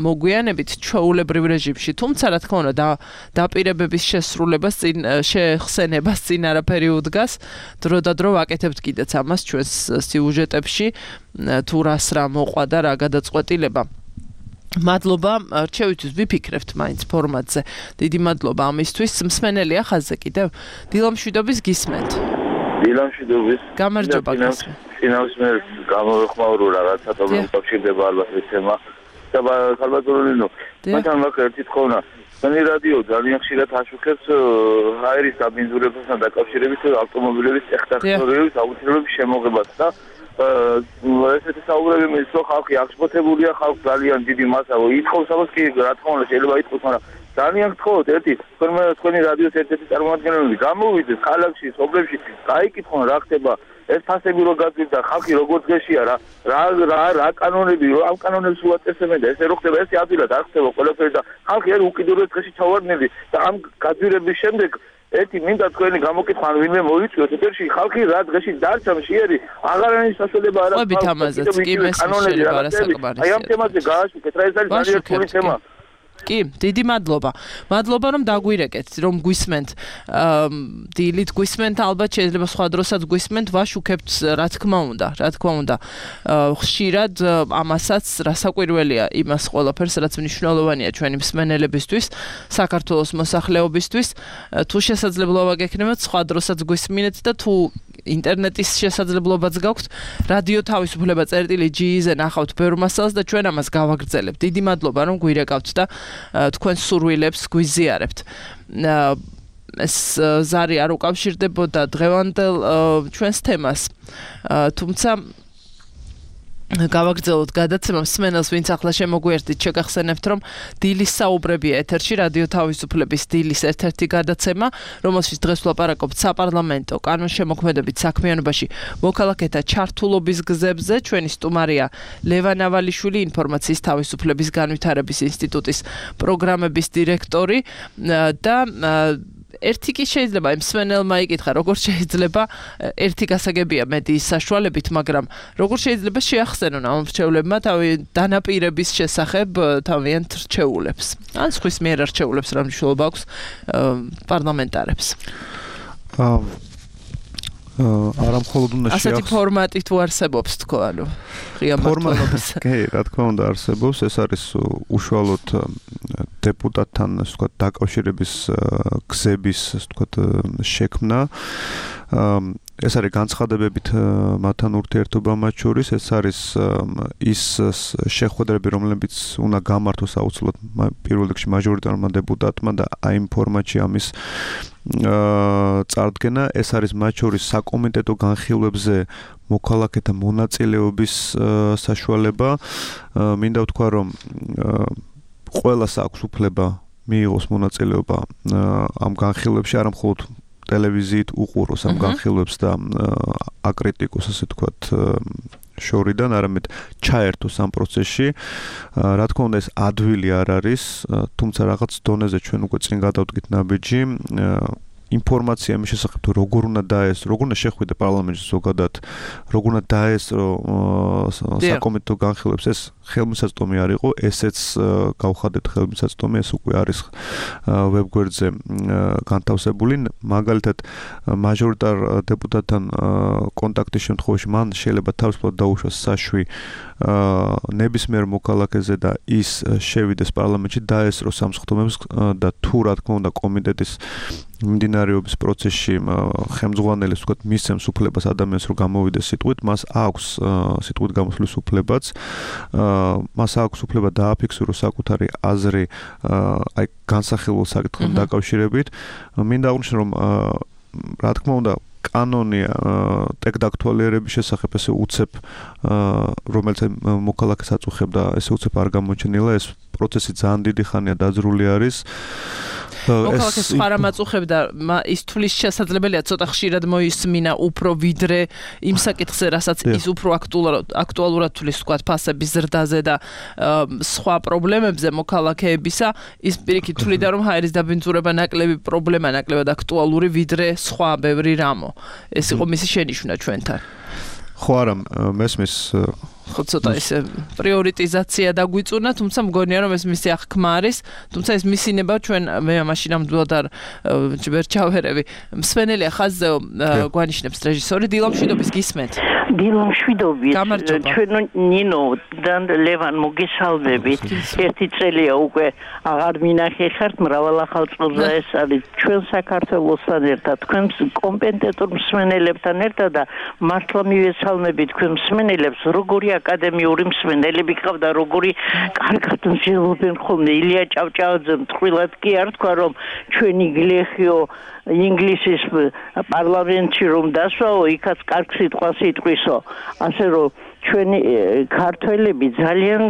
მოგვიანებით ჩვეულებრივ რეჟიმში. თუმცა რა თქმა უნდა დაპირებების შესრულებას წინ შეხსენებას წინ არაფერი უდგას. დრო და დრო ვაკეთებთ კიდეც ამას ჩვენს სიუჟეტებში თუ რას რა მოყვა და რა გადაწყვეტილება. მადლობა რჩევითთვის ვიფიქრებთ მაინც ფორმატზე. დიდი მადლობა ამისთვის. მსმენელია ხაზზე კიდევ. დილამშვიდობის გისმენთ. დილამშვიდობის. გამარჯობა. ფინანსმერ გამოვეხმაურო რაღაცა და უკავშირდება ალბათ ეს თემა. და ხალბატონინო, მათთან მაქვს ერთი თხოვნა. Sani radio ძალიან ხშირად აშუქებს ჰაერის დაბინძურებასთან დაკავშირებით ავტომობილების ტექნოლოგიების აუცილებლობის შემოღებას და ესეთი საუბრები მის რო ხალხი აღშფოთებულია, ხალხი ძალიან დიდი მასა ითხოვს ამას კი რა თქმა უნდა შეიძლება ითხოვს, მაგრამ ძალიან გთხოვთ ერთი თქვენი რადიოს ერთ-ერთი წარმომადგენელი გამოვიდეს ქალაქში, სოფლებში, გაიკითხონ რა ხდება ეს ფასები რო გაგვიდა ხალხი როგორ დღეშია რა რა რა რა კანონები რო ამ კანონებს უაწესებენ და ესე რო ხდება ესე ადვილად არ ხდება ყველაფერი და ხალხი არ უკიდურეს დღეში ჩავარდნილი და ამ გაძვირების შემდეგ ერთი მინდა თქვენი გამოკითხვა ან ვინმე მოიწვიოს ეთერში ხალხი რა დღეში დარჩა მშიერი აღარ არის საშუალება არა ყვებით ამაზეც კი მესმის რა საკმარისია აი ამ თემაზე გააშუქეთ რა ეს არის ძალიან რთული თემა კი, დიდი მადლობა. მადლობა რომ დაგვირეკეთ, რომ გვისმენთ. დილით გვისმენთ, ალბათ შეიძლება სხვა დროსაც გვისმენთ, ვაშუქებთ, რა თქმა უნდა, რა თქმა უნდა. ხშირად ამასაც რასაკვირველია იმას ყველაფერს, რაც მნიშვნელოვანია ჩვენი მსმენელებისთვის, საქართველოს მოსახლეობისთვის. თუ შესაძლებლობა გექნებათ, სხვა დროსაც გვისმინეთ და თუ ინტერნეტის შესაძლებლობაც გაქვთ, რადიო თავისუფლება წერტილი ჯი-ზე ნახავთ ბევრ მასალას და ჩვენ ამას გავაგრძელებთ. დიდი მადლობა რომ გვირეკავთ და თქვენ სურვილებს გვიზიარებთ. ეს ზარი არ უკავშირდებოდა დღევანდელ ჩვენს თემას. თუმცა გავაგრძელოთ გადაცემა მსმენელს ვინც ახლა შემოგვიერთდით შეგახსენებთ რომ დილის საუბრებია ეთერში რადიო თავისუფლების დილის ერთ-ერთი გადაცემა რომელშიც დღეს ვლაპარაკობთ საპარლამენტო კანონშემოქმედებით საქმიანობაში მოქალაქეთა ჩართულობის გზებზე ჩვენი სტუმარია ლევან ავალიშვილი ინფორმაციის თავისუფლების განვითარების ინსტიტუტის პროგრამების დირექტორი და ერთი კი შეიძლება მსმენელმა იკითხა როგორ შეიძლება ერთი გასაგებია მედიის საშუალებით მაგრამ როგორ შეიძლება შეახსენონ ამ რჩევლებმა თავი დანაპირების შესახებ თავიანთ რჩეულებს ან სხვის მიერ რჩეულებს რა მნიშვნელობა აქვს პარლამენტარებს არა მხოლოდ უნდა შეახსენოს ასეთი ფორმატი თუ არსებობს თქო ანუ ღია მართლობის კი რა თქმა უნდა არსებობს ეს არის უშუალოდ დეპუტატთან ასე ვთქვათ დაკავშირების გზების ასე ვთქვათ შექმნა ეს არის განცხადებებით მათთან ურთიერთობა მათ შორის ეს არის ის შეხვედრები რომლებიც უნდა გამართოს აუცილებლად პირველ რიგში მაჟორიტარმა დეპუტატმა და აი იმ ფორმატში ამის წარდგენა ეს არის მათ შორის საკომიტეტო განხილვებზე მოქალაქეთა მონაწილეობის საშუალება მინდა ვთქვა რომ ყველას აქვს უფლება მიიღოს მონაწილეობა ამ განხილვებში არა მხოლოდ ტელევიზიით უყუროს ამ განხილვებს და აკრიტიკოს ასე ვთქვათ შორიდან არამედ ჩაერთოს ამ პროცესში რა თქმა უნდა ეს ადვილი არ არის თუმცა რაღაც დონეზე ჩვენ უკვე წინ გადავდგით ნაბიჯი ინფორმაცია მის შესახებ თუ როგორ უნდა დაესწრო, როგორ უნდა შეხვიდე პარლამენტში ზოგადად, როგორ უნდა დაესწრო საკომიტეტო განხილვებს, ეს ხელმისაწვდომი არ იყო, ესეც გავხადეთ ხელმისაწვდომი, ეს უკვე არის ვებგვერდზე განთავსებული, მაგალითად მაჟორიტარ დეპუტატთან კონტაქტის შემთხვევაში მან შეიძლება თავისუფლად დაუშვას საშვი ნებისმიერ მოქალაქეზე და ის შევიდეს პარლამენტში დაესწრო სამსხდომებს და თუ რა თქმა უნდა კომიტეტის მიმდინარეობის პროცესში ხელმძღვანელს ვთქვათ მისცემს უფლებას ადამიანს რომ გამოვიდეს სიტყვით, მას აქვს სიტყვით გამოსვლის უფლებაც, მას აქვს უფლება დააფიქსიროს საკუთარი აზრი აი განსახილველ საკითხთან დაკავშირებით. მინდა აღვნიშნო რომ რა თქმა უნდა კანონი ტექდაქტუალიერების შესახებ ესე უცებ რომელიც მოქალაქეს აწუხებდა, ესე უცებ არ გამოჩენილა, ეს პროცესი ძალიან დიდი ხანია დაძრული არის. მოქალაქეს სხვა რამ აწუხებდა ის თulis შესაძლებელია ცოტა ხშირად მოისმინა უფრო ვიდრე იმ საკითხზე რასაც ის უფრო აქტუალურად თulis თქვა ფასების ზრდაზე და სხვა პრობლემებზე მოქალაქეებისა ის პირიქით თuliდა რომ ჰაერის დაბინძურება ნაკლები პრობლემა ნაკლებად აქტუალური ვიდრე სხვა ბევრი რამო ეს იყო მისი შენიშვნა ჩვენთან ხო არა მესმის ხო ცოტა ეს პრიორიტიზაცია დაგვიწუნა თუმცა მგონია რომ ეს მისი აღქმა არის თუმცა ეს მისინება ჩვენ მე მაშინ ნამდვილად არ ვერ ჩავერევი მსვენელია ხაზზე გვანიშნებს რეჟისორი დილა მშვიდობის გისმენთ დილა მშვიდობის ჩვენ ნინო და ლევან მოგესალმებით ერთი წელია უკვე აღარ მინახეთ მრავალ ახალწლოვანს ეს არის ჩვენ საქართველოსთან ერთად თქვენ კომპეტენტურ მსვენელებთან ერთად და მართლა მივესალმებით თქვენ მსვენელებს როგორი აკადემიური მსვენელები ყავდა როგორი კარგად მსჯელობენ ხოლმე ილია ჭავჭავაძე მთხრილად კი არ თქვა რომ ჩვენი გლეხიო ინგლისის პარლამენტში რომ დასვაო იქაც კარგ სიტყვას იტყვისო ასე რომ ჩვენი ქართველები ძალიან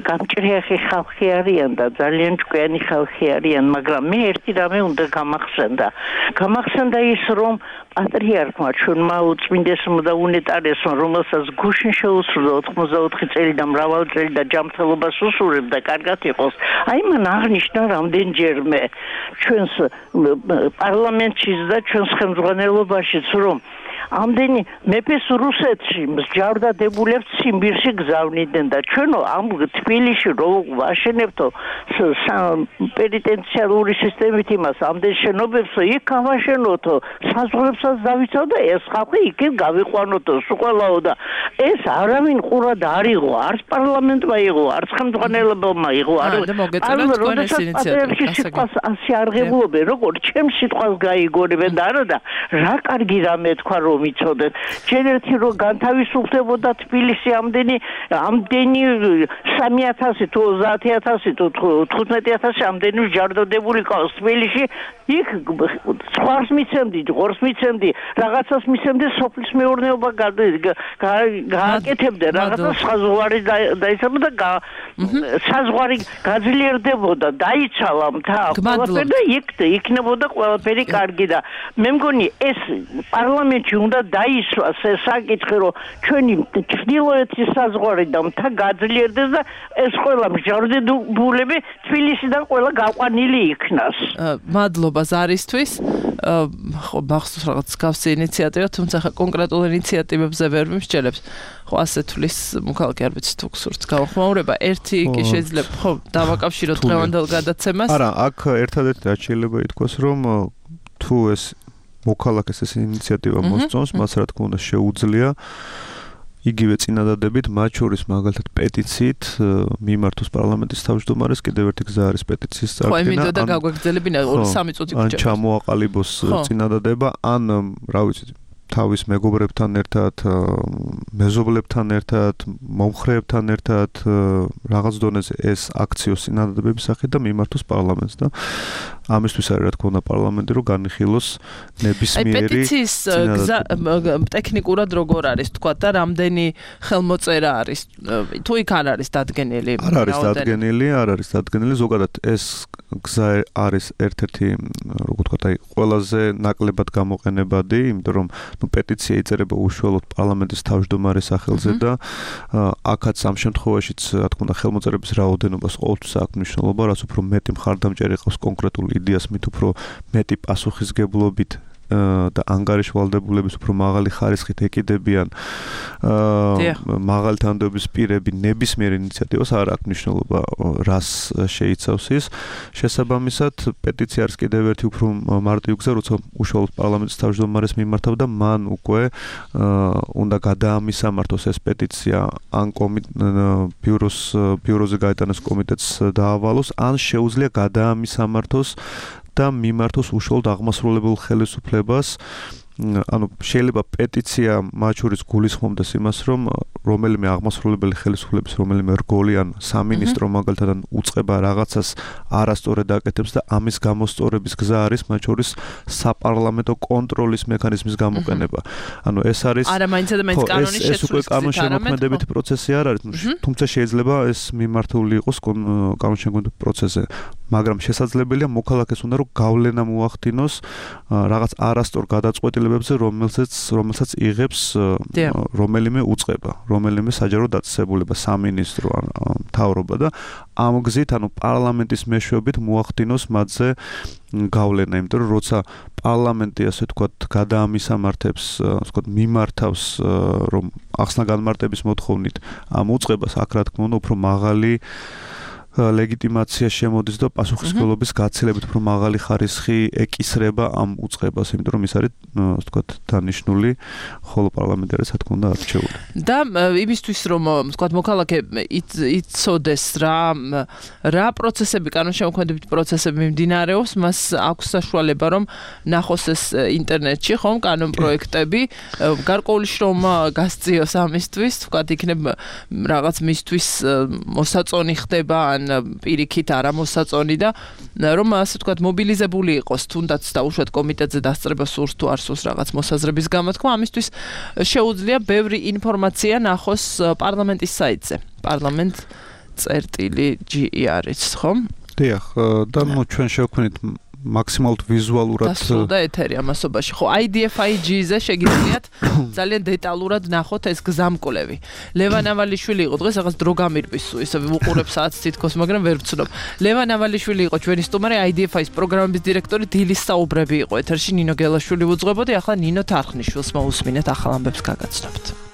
გამჭრიახი ხალხი არიან და ძალიან ჭკვიანი ხალხი არიან მაგრამ მე ერთი რამე უნდა გამახსენდა გამახსენდა ის რომ პატრიარქმა ჩვენმა უწმინდესმა და უნეტარესმა რომელსაც გუშინ შეუსრულა ოთხმოცდაოთხი წელი და მრავალი წელი და ჯანმრთელობას უსურვებდა კარგად იყოს აი მან აღნიშნა რამდენჯერმე ჩვენს პარლამენტში და ჩვენს ხელმძღვანელობაშიც რომ ამდენი მეფეს რუსეთში მსჯავრდა დებულებს ციმბირში გზავნიდნენ და ჩვენო ამ თბილისში რო ვაშენებთო პენიტენციარული სისტემით იმას ამდენ შენობებს იქ გავაშენოთო საზღვრებსაც დავიცავ და ეს ხალხი იქით გავიყვანოთო სულყელაო და ეს არავინ ყურად არ იყო არც პარლამენტმა იყო არც ხელმძღვანელობამ იყო არ სიტყვას ასე არღებულობენ როგორ ჩემს სიტყვას გაიგონებენ და არა და რა კარგი რამე თქვა რომ მიცოდეთ ჯერ ერთი რო განთავისუფლებოდა თბილისი ამდენი ამდენი სამი ათასი თუ ოცდაათი ათასი თუ თხუთმეტი ათასი ამდენი ჯარდოდებული ყავს თბილისში იქ სხვას მიცემდი ღორს მიცემდი რაღაცას მიცემდი სოფლის მეურნეობა გააკეთებდა რაღაცა საზღვარი დაიცავდა და საზღვარი გაძლიერდებოდა დაიცალა მთა ყველაფერი და იქ იქნებოდა ყველაფერი კარგი და მე მგონი ეს პარლამენტში უნდა დაისვას ეს საკითხი რომ ჩვენი ჩრდილოეთის საზღვარი და მთა გაძლიერდეს და ეს ყველა მსჯავრდებულები თბილისიდან ყველა გაყვანილი იქნას მადლობა ზარისთვის ხო მახსოვს რაღაც გავსი ინიციატივა თუმცა ხა კონკრეტულ ინიციატივებზე ვერ მიმსჯელებს ხო ასე თulis მოქალაქე არ ვიცი თუ გსურთ გავხმაურება ერთი კი შეიძლება ხო დავაკავშიროთ დღევანდელ გადაცემას არა აქ ერთადერთი რაც შეიძლება ითქვას რომ თუ ეს მოქალაქეს ეს ინიციატივა მოსწონს მას რა თქმა უნდა შეუძლია იგივე წინადადებით მათ შორის მაგალითად პეტიციით მიმართოს პარლამენტის თავმჯდომარეს კიდევ ერთი გზა არის პეტიციის წარდგენა. ხო, მინდოდა და გაგვაგრძელებინა ორი სამი წუთი გრჩება. ან ჩამოაყალიბოს წინადადება, ან რა ვიცი თავის მეგობრებთან ერთად, მეზობლებთან ერთად, მომხრეებთან ერთად რაღაც დონეზე ეს აქციოს წინადადებების სახით და მიმართოს პარლამენტს და ამისთვის არის რა თქმა უნდა პარლამენტი რომ განიხილოს ნებისმიერი აი პეტიციის გზა ტექნიკურად როგორ არის თქვა და რამდენი ხელმოწერა არის თუ იქ არ არის დადგენილი არ არის დადგენილი არ არის დადგენილი ზოგადად ეს გზა არის ერთ-ერთი როგორ თქვა აი ყველაზე ნაკლებად გამოყენებადი იმიტომ რომ ნუ პეტიცია იწერება უშუალოდ პარლამენტის თავმჯდომარის სახელზე და აქაც ამ შემთხვევაშიც რა თქმა უნდა ხელმოწერების რაოდენობას ყოველთვის აქვს მნიშვნელობა რაც უფრო მეტი მხარდამჭერი ყავს კონკრეტული იდეას მით უფრო მეტი პასუხისგებლობით და ანგარიშვალდებულების უფრო მაღალი ხარისხით ეკიდებიან მაღალი თანხმობის პირები ნებისმიერ ინიციატივას არ აქვს მნიშვნელობა რას შეიცავს ის შესაბამისად პეტიცია არის კიდევ ერთი უფრო მარტივი გზა როცა უშუალოდ პარლამენტის თავმჯდომარეს მიმართავ და მან უკვე უნდა გადაამისამართოს ეს პეტიცია ან ბიუროს ბიუროზე გაეტანოს კომიტეტს დაავალოს ან შეუძლია გადაამისამართოს და მიმართოს უშუალოდ აღმასრულებელ ხელისუფლებას ანუ შეიძლება პეტიცია მათ შორის გულისხმობდეს იმას რომ რომელიმე აღმასრულებელი ხელისუფლების რომელიმე რგოლი ან სამინისტრო მაგალითად უწყება რაღაცას არასწორად აკეთებს და ამის გამოსწორების გზა არის მათ შორის საპარლამენტო კონტროლის მექანიზმის გამოყენება ანუ ეს არის არა მაინც და მაინც კანონის ეს უკვე კანონშემოქმედებითი პროცესი არ არის თუმცა შეიძლება ეს მიმართული იყოს კანონშემოქმედებითი პროცესზე მაგრამ შესაძლებელია მოქალაქეს უნდა რომ გავლენა მოახდინოს რაღაც არასწორ გადაწყვეტილებებზე, რომელსაც რომელსაც იღებს რომელიმე უწყება, რომელიმე საჯარო დაწესებულება, სამინისტრო ან მთავრობა და ამ გზით, ანუ პარლამენტის მეშვეობით მოახდინოს მათზე გავლენა, იმიტომ რომ როცა პარლამენტი ასე ვთქვათ გადაამისამართებს, ასე ვთქვათ მიმართავს რომ ახსნა განმარტების მოთხოვნით ამ უწყებას, აქ რა თქმა უნდა უფრო მაღალი ლეგიტიმაცია შემოდის და პასუხისმგებლობის გაცილებით უფრო მაღალი ხარისხი ეკისრება ამ უწყებას, იმიტომ რომ ის არის, ასე ვთქვათ, დანიშნული, ხოლო პარლამენტი არის, რა თქმა უნდა, არჩეული. და იმისთვის რომ, ასე ვთქვათ, მოქალაქე იცოდეს რა რა პროცესები, კანონშემოქმედებითი პროცესები მიმდინარეობს, მას აქვს საშუალება რომ ნახოს ეს ინტერნეტში, ხომ, კანონპროექტები, გარკვეული შრომა გასწიოს ამისთვის, ვთქვათ, იქნებ რაღაც მისთვის მოსაწონი ხდება პირიქით არა მოსაწონი და რომ ასე ვთქვათ მობილიზებული იყოს თუნდაც დაუშვათ კომიტეტზე დასწრება სურს თუ არ სურს რაღაც მოსაზრების გამოთქმა ამისთვის შეუძლია ბევრი ინფორმაცია ნახოს პარლამენტის საიტზე პარლამენტ წერტილი ჯი ი არის ხომ? დიახ და ნუ ჩვენ შევქმნით მაქსიმალურად ვიზუალურად დასრულდა ეთერი ამასობაში. ხო, აი დი ეფ აი ჯი-ზე შეგიძლიათ ძალიან დეტალურად ნახოთ ეს გზამკვლევი. ლევან ავალიშვილი იყო დღეს, რაღაც დრო გამირბის, ისე ვუყურებ საათს თითქოს, მაგრამ ვერ ვცნობ. ლევან ავალიშვილი იყო ჩვენი სტუმარი, აი დი ეფ აის პროგრამების დირექტორი, დილის საუბრები იყო ეთერში, ნინო გელაშვილი უძღვებოდი, ახლა ნინო თარხნიშვილს მოусმინეთ ახალ ამბებს გაგაცნობთ.